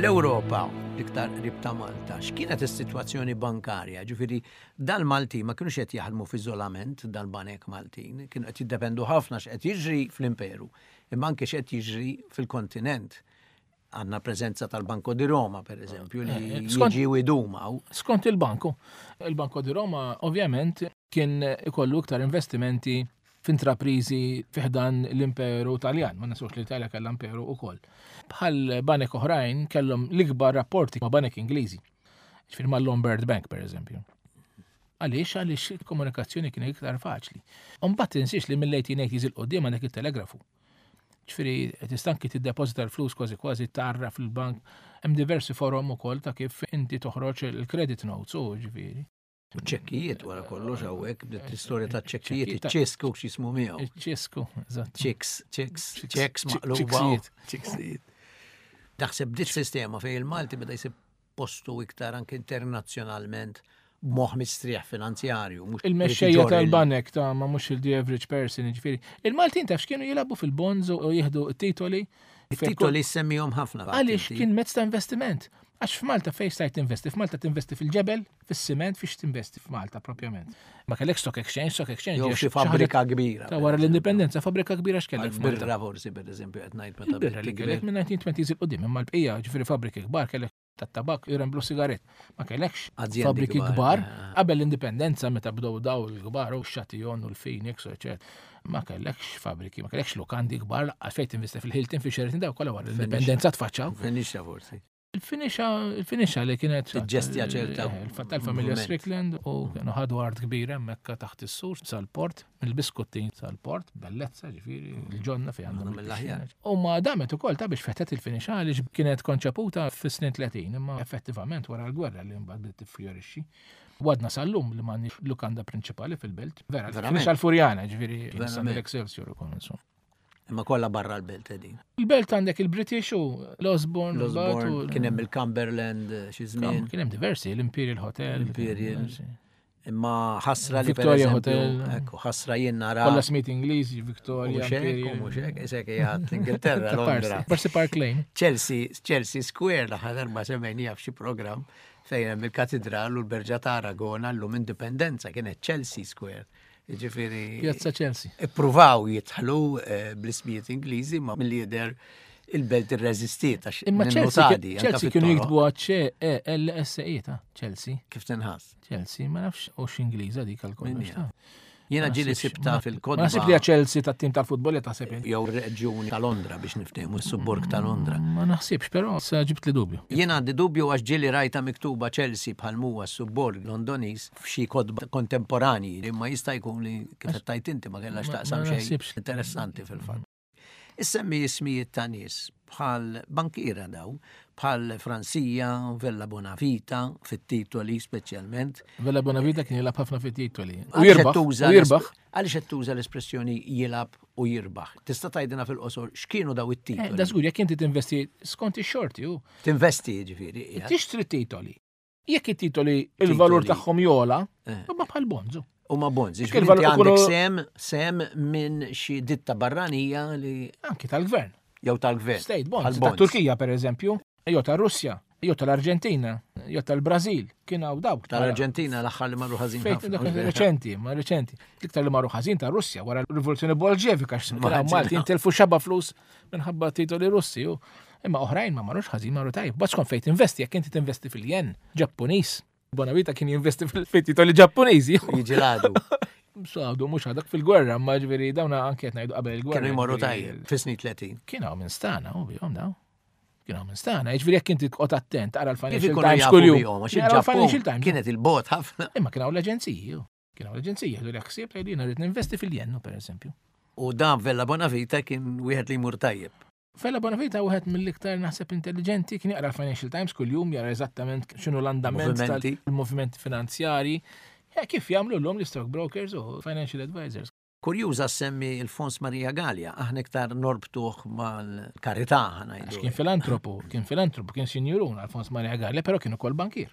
L-Ewropa, l-iktar qrib ta' Malta, x'kienet is-sitwazzjoni bankarja? Ġifieri dal-Malti ma kienux qed jaħdmu f'iżolament dal-banek Maltin, kienu qed jiddependu ħafna x'qed jiġri fl-Imperu, imma anke x'qed jiġri fil-kontinent. Għandna preżenza tal-Banco di Roma, per eżempju, li Eh, skont- jiġi u jdumaw. Skont il-banku. Il-Banco di Roma ovvjament kien ikollu iktar investimenti f'intraprizi fi ħdan l-Imperu Taljan, ma ninsewx li l-Italja kellha imperu ukoll. Bħal banek oħrajn kellhom l-ikbar rapporti ma' banek Ingliżi. Ġifieri ma' Lombard Bank per eżempju. Għaliex għaliex il-komunikazzjoni kien iktar faċli. Mbagħad tinsiex li mill-eighteen eighties 'il quddiem għandek il-telegrafu. Ġifieri tista' anki tiddepożita l-flus kważi kważi tarra fil-bank. Hemm diversi forom ukoll ta' kif inti toħroġ il-credit notes u ġifieri. U ċekkijiet wara kollox hawnhekk, bdiet l-istorja ta' ċekkijiet, Ċekkijiet. iċ-ċisku x'jismu miegħu. Iċ-ċisku, eżatt. Chicks, chicks, Chicks, checks maqluba. Ċiksijiet. Ċiksijiet. Taħseb bdiet sistema fejn il-Malti beda jsib postu iktar anke internazzjonalment b'moħħ mistrieħ finanzjarju. Mhux Il-mexxejja irid iġorr il- tal-banek ta' ma mhux il-the average person, ġifieri. Il-Maltin taf x'kienu jilagħbu fil-bonds u jieħdu t-titoli. It-titoli semmihom ħafna. Għaliex inti. kien mezz ta' investiment. Għax f'Malta fejn stajt tinvesti? F'Malta tinvesti fil-ġebel, fis-siment, fiex tinvesti f'Malta propjament. Ma kellek stock exchange, stock exchange. Jew hija xi xi ħaġa fabbrika kbira. ta' wara l-indipendenza, fabbrika kbira x'kellek f'Malta. Birra forsi, per eżempju, qed ngħid meta Il-birra li bdiet kellek tikber. minn nineteen twenties 'il quddiem, imma l-bqija ġifieri fabbriki kbar kellek tat-tabak, iremblu sigaret. Ma kellekx Azjendi fabbriki kbar, kbar eh. qabel l-indipendenza meta bdew daw il-kbar u x-Chatillon u l-Phoenix u eċetera. Ma kellekx fabbriki, ma kellekx lukandi kbar, laqqas fejn tinvesti fil-Hilton, fi Sheraton, daw kollha wara l-indipendenza tfaċċaw. Finixa forsi. Il-Finixa, il-Finixa li kienet Tiġġestja ċerta Eh, il-fatt tal-familja moviment. Strickland u kienu ħadu art kbira hemmhekk taħt is-sur sal-port, mill-Biskuttin sal-port, bellezza ġifieri, il-ġonna fejn għandhom Mill-aħjar. il-pixxina. U ma damet ukoll ta' biex fetet il-Finixa għaliex kienet konċeputa fis-snin tletin, imma effettivament wara l-gwerra li mbagħad bdiet tiffjorixxi. Għadna sal-lum li m'għandniex lukanda prinċipali fil-belt. Vera, Verament. Finixa l-Furjana, ġifieri, Verament. l-Excelsior ukoll insomma. Imma kollha barra l-belt qegħdin. Il-belt għandek il-British u l-Osborne, L-Osborne, mbagħad u- kien hemm il-Cumberland eh, xi żmien. Kien hemm diversi, l-Imperial Hotel. L-Imperial. diversi. Imma ħasra li per Victoria eżempju, Hotel. ekku, ħasra jien nara. Kollha Smith Ingliżi, Victoria, Mhux hekk, Imperial. mhux hekk, isek qiegħed l-Ingilterra, Ta' Londra. Parsi, Parsi Park Lane. Chelsea, Chelsea Square, l-aħħar darba semmejnija f'xi programm fejn hemm il-katedral u l-Berġa ta' Aragona llum Indipendenza kienet Chelsea Square. Ġifieri Piazza Chelsea. ippruvaw jidħlu eh, bl-ismijiet Ingliżi ma milli jidher il-belt irreżistiet għax Imma Chelsea, ninnotadi, anka Chelsea kienu fit-toroq, jiktbu C E L S E ta' Chelsea. Kif tinħass. Chelsea, ma nafx u x'Ingliża dik għal kollox. Min ta' Jiena Ma ġieli naħsibx- sibta ma- fil-kodba. Ma naħsib li hija Chelsea tat-tim tal-futbol li taħseb inti. Jew reġjuni ta' Londra biex niftehmu s-subborg ta' Londra. Ma naħsibx, però sa ġibt li dubju. Jien għandi dubju għax ġieli rajta miktuba Chelsea bħal muwa s-subborg Londoniż f'xi kotba kontemporanji, imma jista' jkun li kif qed tajt inti ma kellhax Ma- taqsam ma xejn naħsibx. interessanti fil-fatt. Issemmi ismijiet ta' nies bħal bankiera daw, bħal Francia, Vella Bonavita, fit-titoli speċjalment. Vella Bonavita kien jilgħab ħafna fit-titoli. U Għaliex qed jirbaħ. tuża U jirbaħ. l-esp- Għaliex qed tuża l-espressjoni jilgħab u jirbaħ? Tista' tgħidilna fil-qosor x'kienu daw Eh, it-titoli? Da żgur, jekk inti tinvesti skont ix-xorti u Tinvesti jiġifieri. qiegħed. tixtri titoli. Jekk it-titoli il-valur Titoli. tagħhom jola, Eh. huma bħal bonds. U ma bonds, Jekk ġifieri il-valur inti għandek ikunu- sem, sem minn xi ditta barranija li Anki tal-gvern. jew tal-gvern. State bonds. Bħal Ta' Turkija per eżempju, jew ta' Russja, jew tal-Arġentina, jew tal-Brażil, kien hawn dawk. Tal-Arġentina l-aħħar li marru ħażin Fejn ħafna. dak reċenti, ma reċenti. L-iktar li marru ħażin ta' Russja wara l-rivoluzzjoni Bolxevika x'kien hawn Malti intelfu xaba flus minħabba titoli Russi. u- Imma oħrajn ma marrux ħażin, marru tajjeb. Bas skont fejn tinvesti, jekk inti tinvesti fil-jen Ġappuniż. Bonavita kien jinvesti fil-titoli Ġappuniżi. Jiġi l-għadu. Sadu mhux għadak fil-gwerra, ma ġifieri dawna anke qed ngħidu qabel il-gwerra. Kienu jmorru ġifieri- tajjeb fis-snin tletin. Kien hawn minn stana, u bihom daw. Kien hawn minn stana, jiġifieri jekk inti tqgħod attent taqra Kif l-Financial ikunu Times jafu kuljum. bihom, għax Jaqra l-Financial il-Ġappun Times. kienet il-bot ħafna. Imma kien hawn l-aġenziji, ju. Kien hawn l-aġenziji, jieħdu l-ħsieb tgħidu jiena rrid ninvesti fil-jennu pereżempju. U dan Vella Bonavita kien wieħed li jmur tajjeb. Vella Bonavita wieħed mill-iktar naħseb intelligenti, kien jaqra l-Financial Times kuljum, jara eżattament x'inhu l-andament Movimenti. tal-movimenti finanzjari. Ja, kif jagħmlu llum l-stock brokers u financial advisors. Kurjuża semmi il-Fons Maria Gallia, aħna iktar norbtuh mal-karità Għax ngħidu. kien filantropu, kien filantropu, kien sinjurun Alfons Maria Gallia, però kien ukoll bankier.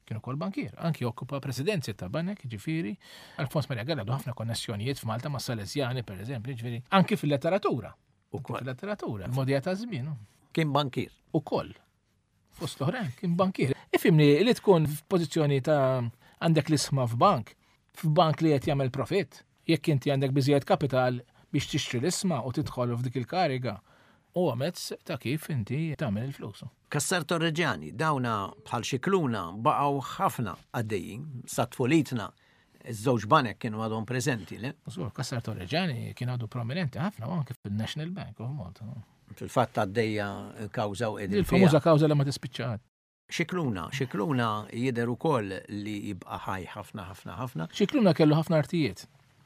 Kien ukoll bankier, anki okkupa presidenzi ta' banek, ġifieri. Alfons Maria Gallia għandu ħafna konnessjonijiet f'Malta ma' Salesjani, per eżempju, ġifieri, anki fil-letteratura. Anki Ukoll. fil-letteratura, il-modija ta' żmien. Kien bankier. Ukoll. Fost l-oħrajn kien bankier. Ifhimni li tkun f'pożizzjoni ta' għandek l-isma f'bank, f'bank li qed jagħmel profitt, jekk inti għandek biżejjed kapital biex tixtri l-isma u tidħol f'dik il-kariga, huwa mezz ta' kif inti tagħmel il-flus. Cassar Torregiani, dawna bħal Scicluna baqgħu ħafna għaddejjin, sa tfulitna, iż-żewġ banek kienu għadhom preżenti, le? Żgur, Cassar Torregiani kien għadu prominenti ħafna u anke fil-National Bank of Malta. Fil-fatt għaddejja kawża u qegħdin Il-famuża kawża li ma tispiċċat. Scicluna, Scicluna jidher ukoll li jibqa' ħaj ħafna ħafna ħafna. Scicluna kellu ħafna artijiet.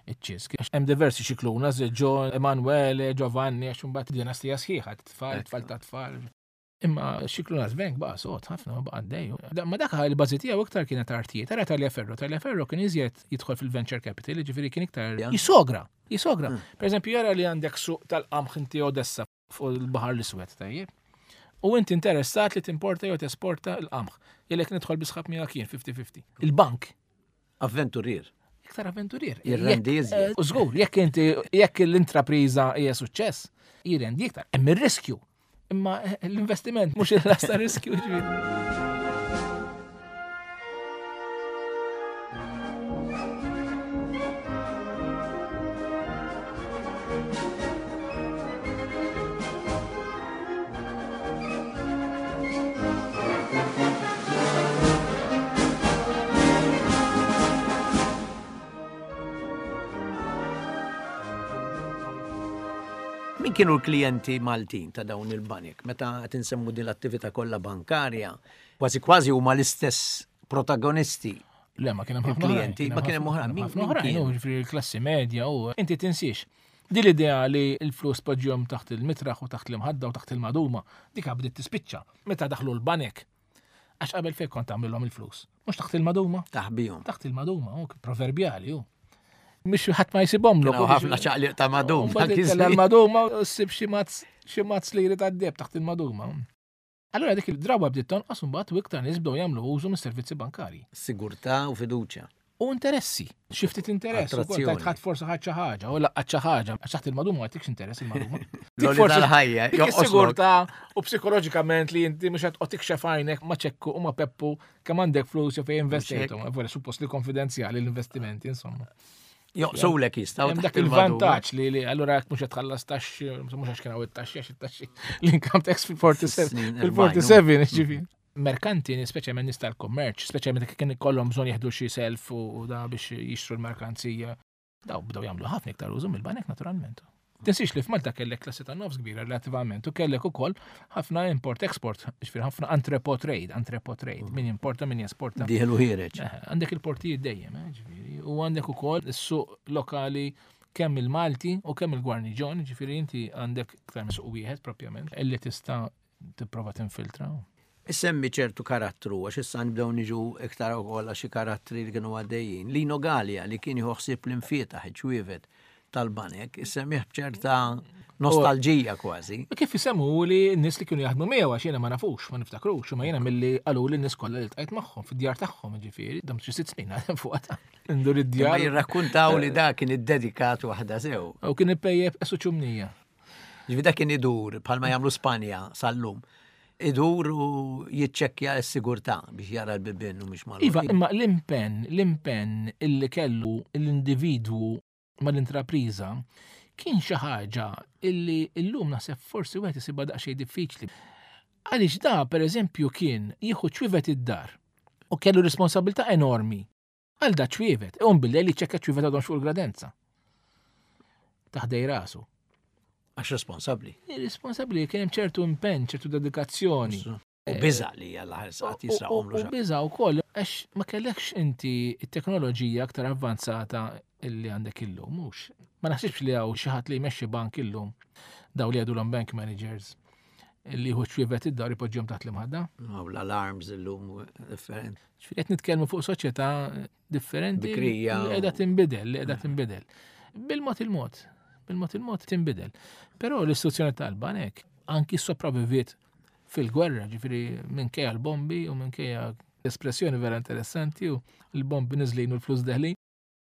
Iċ-ċisk. Hemm diversi Scicluna, Ġo, Emanuele, Giovanni, għax imbagħad dinastija sħiħa, tfal, tfal ta' tfal. Imma Scicluna's Bank baqa' sod ħafna baqa' għaddej. Ma dak il-bażi tiegħu iktar kienet artijiet. Ara Tagliaferro, Tagliaferro kien iżjed jidħol fil-venture capital, jiġifieri kien iktar jisogra, jisogra. Per eżempju, jara li għandek suq tal-qamħ inti Odessa fuq il-Baħar l-Iswed, tajjeb. U inti interessat li timporta jew tesporta l-qamħ. Jellek nidħol bisħab miegħek kien fifty fifty. Il-bank. Avventurier. Iktar avventurier. Jirrendi iżjed. U żgur, jekk inti, jekk l-intrapriża hija suċċess, jirrendi iktar. Hemm ir-riskju. Imma l-investiment mhux il-lasta riskju ġifieri. Min kienu l-klijenti Maltin ta' dawn il-banek? Meta qed insemmu din l-attività kollha bankarja, kważi kważi huma l-istess protagonisti. Le, ma kien hemm ħafna Il-klijenti, ma kien hemm oħrajn. Min ħafna oħrajn, kien? u ġifieri l-klassi medja u inti tinsiex. Din l-idea li l-flus poġġihom taħt il-mitraħ u taħt l-imħadda u taħt il-maduma, dik bdiet tispiċċa meta daħlu l-banek. Għax qabel fejn kont tagħmilhom il-flus? Mhux taħt il-maduma? Taħbihom. Taħt il-maduma, u proverbjali hu. Mhux ħadd ma jsibhomlok. Kienu ħafna ċaqliq ta' maduma. U mbagħad ittella' l-maduma u ssib xi mazz, xi mazz li jrid għad-deb taħt il-maduma. Allura dik il-drawa bdiet tonqos u mbagħad u iktar nies bdew jagħmlu użu mis-servizzi bankarji. Sigurtà u fiduċja. U interessi. Xi ftit interess, ukoll Attrazzjoni. tajt ħadd forsi ħadd xi ħaġa, u laqqat xi ħaġa, għax taħt il-maduma ma jtikx interess il-maduma. L-għoli Dik forsi tal-ħajja, dik jonqoslok. is-sigurtà u psikoloġikament li inti mhux qed toqgħod tikxef għajnek ma' ċekku u ma' Peppu kemm għandek flus jew fejn investejthom. Vera suppost li konfidenzjali l-investimenti, insomma. Joqsulek jistgħu Hemm taħt dak il-maduma. il-vantaġġ li, li allura jekk mhux qed tħallas taxxi, mhux għax kien hawn it-taxxi, għax it-taxxi l-income tax fil-forty-seven, Snin erbgħin, fil-forty-seven, ġifieri. Merkanti, speċjalment nies tal-kummerċ, speċjalment jekk kien ikollhom bżonn jieħdu xi self u, u da biex jixtru l-merkanzija, daw bdew jagħmlu ħafna iktar użu mill-banek naturalment. Tinsiex li f'Malta kellek klassi ta' nofs kbira relattivament u kellek ukoll ħafna import-export, ġifieri ħafna entrepot trade, entrepot trade, min importa, min jesporta. Dieħel u ħiereġ. Eh, għandek il-portijiet dejjem, eh, ġifieri, u għandek ukoll is-suq lokali kemm il-Malti u kemm il-Gwarniġon, ġifieri inti għandek iktar minn suq wieħed propjament illi tista' tipprova tinfiltra. Issemmi ċertu karattru, għax issa nibdew niġu iktar ukoll għax xi karattri li kienu għaddejjin. Lino Galea li kien jieħu ħsieb l-imfietaħ, iċ-ċwievet tal-banek, issemmih b'ċerta nostalġija kważi. Ma kif isemmu li n-nies li kienu jaħdmu miegħu għax jiena ma nafux, ma niftakrux, imma jiena milli qalu li n-nies kollha li ltqajt magħhom fid-djar tagħhom, ġifieri, dam xi sitt snin għadhem fuq għata. Ndur id-djar. Ma jirrakkuntaw li da kien iddedikat waħda sew. U kien ipejjeb esu ċumnija. Ġifieri da kien idur bħalma jagħmlu Spanja sal-lum. Idur u jiċċekkja s-sigurtà biex jara l-bibien u mhux magħluq. Iva, imma l-impenn, l-impenn illi kellu l-individwu mal-intrapriża kien xi ħaġa illi llum naħseb forsi wieħed isibha daqsxejn diffiċli. Għaliex da, pereżempju, kien jieħu ċwievet id-dar u kellu responsabilità enormi għal da ċwievet, u bil-lejl jiċċekkja ċwievet għadhom fuq il-gradenza. Taħdej rasu. Għax responsabbli. Responsabbli kien hemm ċertu impenn, ċertu dedikazzjoni. U biża' li għal ħares qatt jisraqhom U biża' wkoll għax ma kellekx inti t-teknoloġija aktar avvanzata illi għandek illum, mhux. Ma naħsibx li hawn xi ħadd li jmexxi bank illum, daw li jgħidulhom bank managers, li jieħu ċwievet id-dar ipoġġihom taħt l-imħadda. Hawn l-alarms illum differenti. Ġifieri qed nitkellmu fuq soċjetà differenti Bikrija. li qiegħda tinbidel, li qiegħda tinbidel. Bil-mod il-mod, bil-mod il-mod tinbidel. Però l-istituzzjoni tal-banek anki sopravviviet fil-gwerra, ġifieri minkejja l-bombi u minkejja espressjoni vera interessanti u l-bombi niżlin u l-flus deħlin.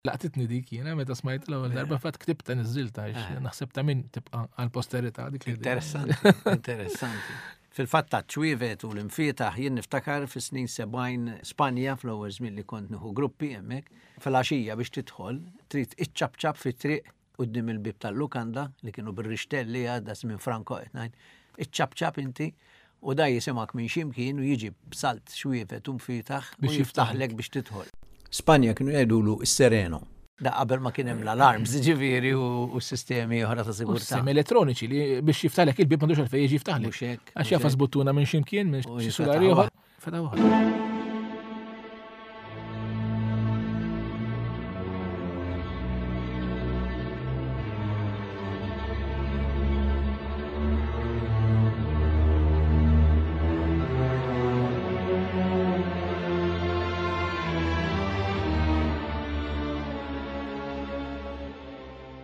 Laqtitni dik jiena meta smajt l-ewwel darba fatt ktibta niżżilta għax Eh. naħseb ta' min tibqa' għall-posterità dik l-idea. Interessanti, interessanti. Fil-fatt ta' ċwievet u l-imfietaħ jien niftakar fis-snin sebgħin Spanja fl-ewwel żmien li kont nieħu gruppi hemmhekk, fil-għaxija biex tidħol trid iċċabċab fit-triq quddiem il-bieb tal-lukanda li kienu bir-rixtelli għadda żmien Franco qed ngħid, iċċabċab inti u da jisimak minn x'imkien u jiġi b'salt xwievet u mfietaħ u Biex jiftaħlek biex tidħol. Spanja kienu jgħidulu s-sereno. Da qabel ma kien hemm l-alarms, ġifieri, u s-sistemi oħra ta' sigurtà. Sistemi elettroniċi li biex jiftaħlek il-bieb m'għandux għalfejn jiġi jiftaħlek. Mhux hekk, Għax mhux jafas hekk. buttuna minn x'imkien, minn U xi jiftaħ sulari waħda. ieħor. Fetaħ waħda.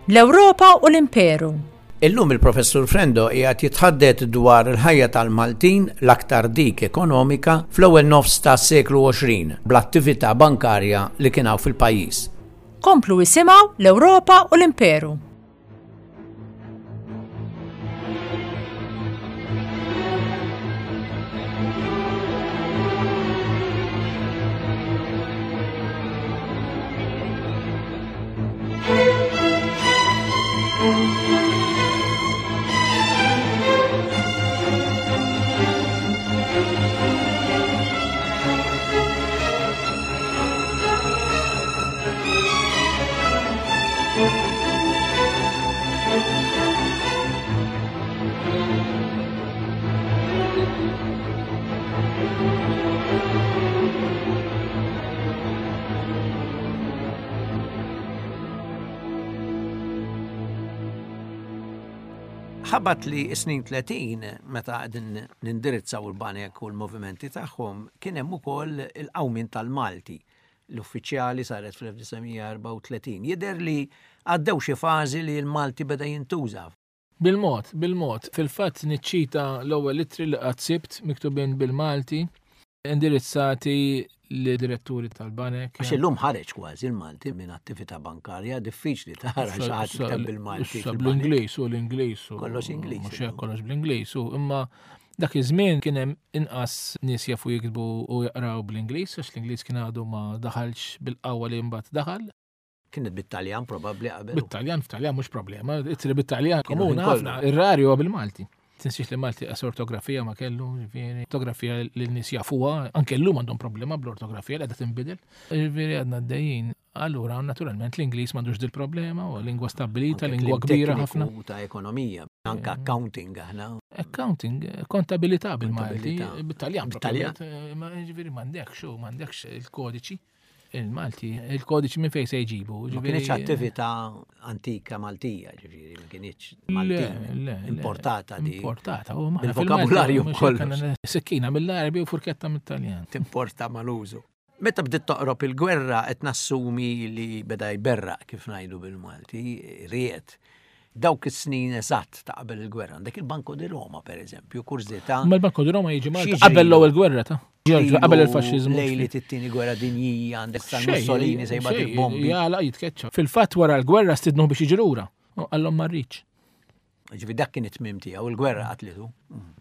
L-Ewropa u l-Imperu. Illum il-Professur Frendo qiegħed jitħaddet dwar il-ħajja tal-Maltin l-aktar dik ekonomika fl-ewwel nofs tas-seklu għoxrin bl-attività bankarja li kien hawn fil-pajjiż. Komplu isimgħu l-Ewropa u l-Imperu. Ħabat li snin tletin, meta qegħdin nindirizzaw il-banek u l-movimenti tagħhom, kien hemm ukoll il-qawmien tal-Malti. L-uffiċjali saret fl-elf disa' mija erbgħa u tletin. Jidher li għaddew xi fażi li l-Malti beda jintuża. Bil-mod, bil-mod. Fil-fatt niċċita l-ewwel ittri li qatt sibt miktubin bil-Malti, indirizzati li diretturi tal-banek. Għax illum ħareġ kważi l-Malti minn attività bankarja, diffiċli tara xi ħadd jikteb bil-Malti Issa fil-banek. bl-Ingliż u l-Ingliż u Kollox Ingliż mhux hekk, illum. kollox bl-Ingliż u imma dak iż-żmien kien hemm inqas nies jafu jiktbu u jaqraw bl-Ingliż, għax l-Ingliż kien għadu ma daħalx bil-qawwa li mbagħad daħal. Kienet bit-Taljan probabbli qabel. Bit-Taljan, f'Taljan mhux problema, ittri bit-Taljan Kienu komuna ħin kollu. ħafna, ir-rari huwa bil-Malti. Tinsiex li Malti qas ortografija ma kellu, ġifieri, ortografija li n-nies jafuha, anke llum għandhom problema bl-ortografija li qiegħda tinbidel. Ġifieri għadna għaddejjin. Allura, naturalment, l-Ingliż m'għandux dil-problema, huwa lingwa stabbilita, Anke lingwa kliem kbira tekniku ħafna. Ta' ekonomija, anke accounting aħna. Accounting, kontabilità bil-Malti, Kontabilità. bit-Taljan, Bit-Taljan. proprjament, ma ġifieri m'għandekx, u m'għandekx il-kodiċi. Il-Malti, il-kodiċi minn fejn se jġibu, Ma ġifieri kienx attività antika Maltija, ġifieri, ma kienx Le, Maltin, le, le. importata di. Importata, u maħna Bil-vokabularju fil-Malti, mhux kollox. hekk għandna Sikkina mill-Arabi u furketta mit-Taljan. Timporta mal-użu. Meta bdiet toqrob il-gwerra qed nassumi li beda jberraq kif ngħidu bil-Malti, ried. Dawk is-snin eżatt ta' qabel il-gwerra. Għandek il-Banco di Roma, per eżempju, kurżità. Ma l-Banco di Roma jiġi Malta X'jiġri? qabel l-ewwel gwerra ta' Ġorġ, qabel il-faxxiżmu. Lejli it-tieni gwerra dinjija għandek San Xejn, Mussolini se jibgħat xejn, il-bombi. Jala jitkeċċa. Fil-fatt wara l-gwerra stidnuh biex jiġi lura. U qallhom ma rridx. Ġifieri dak kien it-tmiem tiegħu, il-gwerra qatlitu.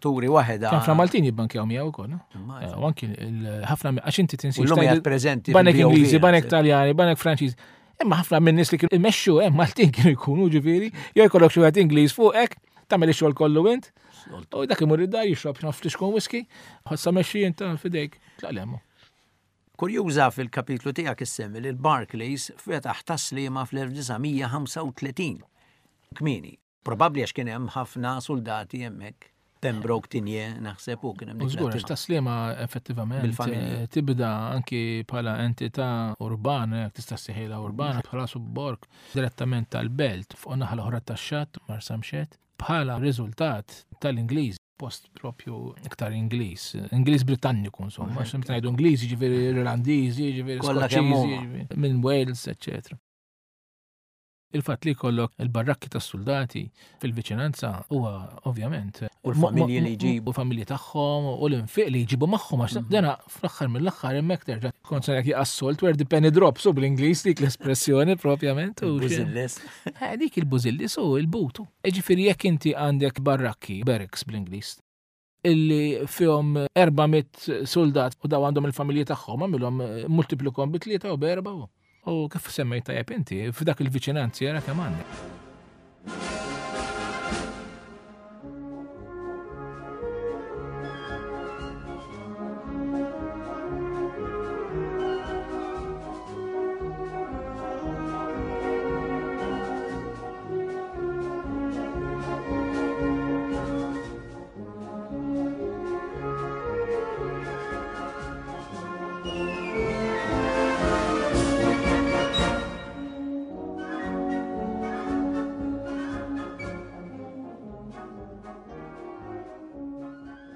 Turi waħedha. Kien ħafna Maltin jibbankjaw miegħu wkoll, no? Immaġina. Eh, u anki il-, ħafna mi-, għax inti tinsiex U llum tgħid qiegħed preżenti Banek fil-B O V, Ingliżi, banek naħseb. Taljani, banek Franċiż. Imma ħafna minn nies li kienu imexxu hemm Maltin kienu jkunu ġifieri, jew jkollok xi wieħed Ingliż fuqek, tagħmel ix-xogħol kollu int. U dak imur id-dar jixrob xi ftit whisky, ħossa mexxi int f'idejk, tlaq lemmu. Kurjuża fil-kapitlu tiegħek issemmi li l-Barclays fetaħ taslima fl-elf disa' mija ħamsa u tletin. Kmieni. Probabbli għax kien hemm ħafna soldati hemmhekk. Pembroke, Tinje, naħseb u kien hemm dik U żgur, għax l-attività. taslima effettivament, Bil-familja. eh, tibda anki bħala entità urbana, jekk tista' ssejħilha urbana, bħala subborg direttament tal-belt fuq naħa l-oħra tax-xatt, Marsamxett, bħala riżultat tal-Ingliż, post propju iktar Ingliż, Ingliż Britanniku insomma, għax meta ngħidu Ingliż jiġifieri Irlandiżi, jiġifieri Kollha kemm Skoċċiżi, huma. jiġifieri minn Wales, eċċetera. Il-fatt li jkollok il-barrakki tas-soldati fil-viċinanza huwa ovvjament U l-familji li jġibu. U familji tagħhom u l-infiq li jġibu magħhom għax Mhm. dena fl-aħħar mill-aħħar hemmhekk terġa' kont se ngħid assault where the penny drops u bl-Ingliż dik l-espressjoni propjament u xi- Bużillis. Eh, dik il-bużillis u il-butu. Ġifieri jekk inti għandek barrakki, barracks bl-Ingliż, illi fihom erba' mitt soldat u daw għandhom il-familji tagħhom, għamilhom multiplikom bi tlieta u b'erba'. U kif semmejt tajjeb inti, f'dak il-viċinanzi jara kemm għandek.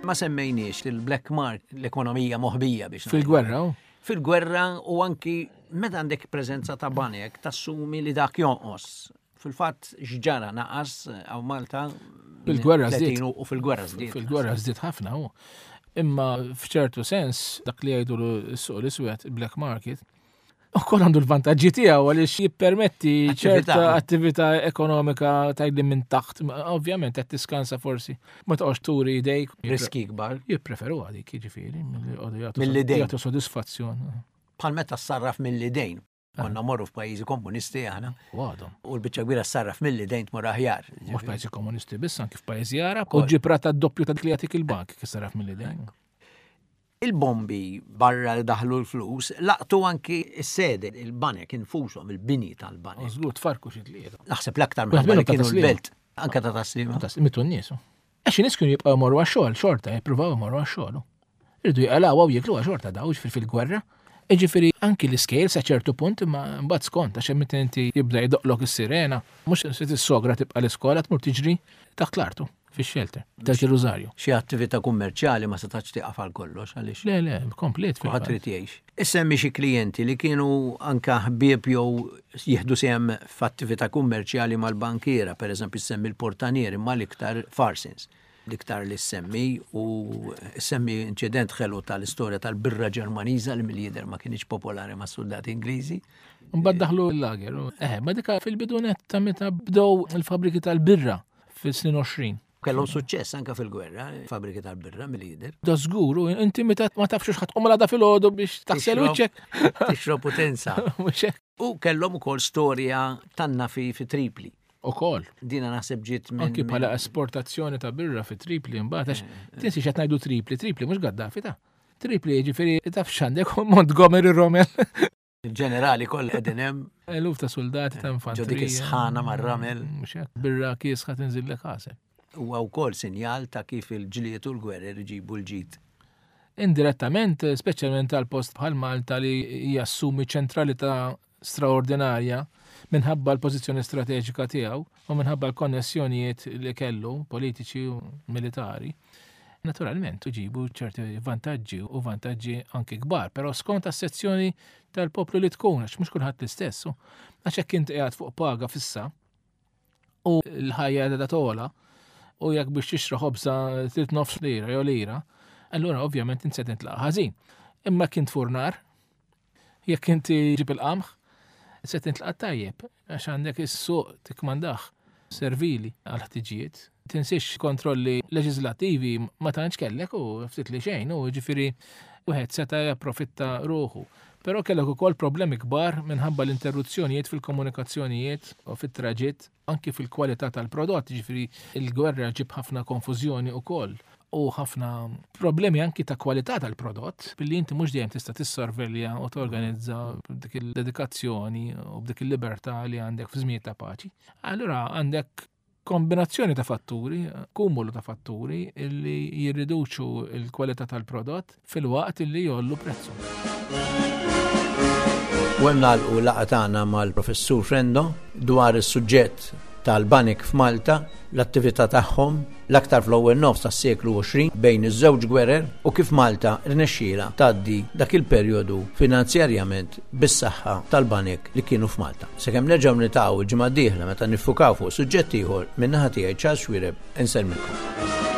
Ma semmejniex il-black market, l-ekonomija moħbija biex ngħidu. Fil-gwerra, u? Fil-gwerra u anki meta għandek preżenza ta' banek tassumi li dak jonqos. Fil-fatt x'ġara naqas hawn Malta Fil-gwerra żdied. tletin u fil-gwerra żdied. Fil-gwerra żdied ħafna u. Imma f'ċertu sens dak li jgħidu s-suq l-iswed, il-black market, ukoll għandu l-vantaġġi tiegħu għaliex jippermetti Attività. ċerta attività ekonomika tgħidli minn taħt, ma ovvjament qed tiskansa forsi ma toqgħodx turi idejk. Riski kbar. Jippreferu għadik, jiġifieri, milli jqogħdu jagħtu Mill-idejn. jagħtu sodisfazzjon. Bħal meta ssarraf mill-idejn. Konna morru f'pajjiżi komunisti aħna. U għadhom. U l-biċċa kbira ssarraf mill-idejn tmur aħjar. Mhux pajjiżi komunisti biss, anki f'pajjiżi Arab. U Kol. ġib rata d-doppju ta' dik li jagħtik il-bank kif ssarraf mill-idejn. Il-bombi barra li daħlu l-flus laqtu anki s-sede, il-banek infushom, il-bini tal-banek. Żgur tfarku xi tlieta. Naħseb l-aktar Wieħed minħabba li minnhom ta' kienu taslima. l-belt. Anka ta' taslima. Ta' mitu n-nies. Għax in-nies kienu jibqgħu jmorru għax-xogħol, xorta jippruvaw jmorru għax-xogħol. Irridu jqalgħu u jieklu xorta daw ġifieri fil-gwerra. Jiġifieri anki l-iskejl sa ċertu punt imma mbagħad skont għax hemm inti jibda jdoqlok is-sirena, mhux se tissogra tibqa' l-iskola tmur tiġri taħt l-artu fix-xelter ta' Ġerużarju. Xi attività kummerċjali ma setax tieqaf għal kollox għaliex Le, le, komplet kulħadd fil-fatt. trid jgħix. Issemmi xi klijenti li kienu anka ħbieb jew jieħdu sehem f'attività kummerċjali mal-bankiera, pereżempju semmi l-portanieri imma l-iktar Farsins. L-iktar li semmi u semmi inċident ħelu tal-istorja tal-birra Ġermaniża li mill-jidher ma kienx popolari mas soldati Ingliżi. Mbagħad daħlu l-lager. Eh, ma dika fil-bidunet ta' meta bdew il-fabriki tal-birra fis-snin għoxrin. Kellhom suċċess anka fil-gwerra, fabriki tal-birra mill-jidher. Da żgur, u inti meta ma tafx x'ħadd tqum l-għada filgħodu biex taħsel Tixrob. wiċċek. Tixrob potenza. Mhux hekk. U kellhom ukoll storja tan-nafi fi Tripli. Ukoll. Dina naħseb ġiet minn Anki bħala esportazzjoni ta' birra fi Tripli mbagħad għax tinsi x'qed ngħidu Tripli, Tripli mhux Gaddafi ta' Tripli jiġifieri taf x'għandek Montgomery Rommel. Il-ġenerali kollha qegħdin hemm Eluf ta' soldati ta' ġo infanterija. dik is-sħana mar-ramel. Mhux hekk. Birra kiesħa tinżillek għasel. Huwa wkoll sinjal ta' kif il-ġlied u l-gwerer iġibu l-ġid. Indirettament, speċjalment għal post bħal Malta li jassumi ċentralità straordinarja minħabba l-pożizzjoni strateġika tiegħu u minħabba l-konnessjonijiet li kellu politiċi u militari. Naturalment, uġibu ċerti vantaġġi u vantaġġi anki kbar, però skont as-sezzjoni tal-poplu li tkun, għax mhux kulħadd l-istess. u Għax hekk inti qiegħed fuq paga fissa u l-ħajja qiegħda togħla u jekk biex tixra ħobża trid nofs lira jew lira, allura ovvjament inti se tintlaqa' ħażin. Imma kien tfurnar, jekk inti ġib il-qamħ, se tintlaqa' tajjeb, għax għandek is-suq tikmandah servili għal ħtiġijiet. Tinsiex kontrolli leġislattivi ma tantx kellek u ftit li xejn, u ġifieri wieħed seta' japprofitta ruħu. Però kellek ukoll problemi kbar minħabba l-interruzzjonijiet fil-komunikazzjonijiet u fit-traġitt, anki fil-kwalità tal-prodott, ġifieri il-gwerra ġib ħafna konfużjoni ukoll u ħafna problemi anki ta' kwalità tal-prodott, billi inti mhux dejjem tista' tissorvelja u torganizza b'dik il-dedikazzjoni u b'dik il-libertà li għandek fi żmien ta' paċi. Allura għandek kombinazzjoni ta' fatturi, kumulu ta' fatturi illi jirriduċu l-kwalità tal-prodott fil-waqt illi jollu prezzu. U hemm nagħlqu laqgħa tagħna mal-Professur Frendo dwar is-suġġett tal-banek f'Malta, l-attività tagħhom l-aktar fl-ewwel nofs tas-seklu għoxrin bejn iż-żewġ gwerer u kif Malta rnexxiela tgħaddi dak il-perjodu finanzjarjament bis-saħħa tal-banek li kienu f'Malta. Sakemm nerġgħu niltaqgħu l-ġimgħa d-dieħla meta niffukaw fuq suġġett ieħor, min-naħa tiegħi Charles Xuereb insellmilkom.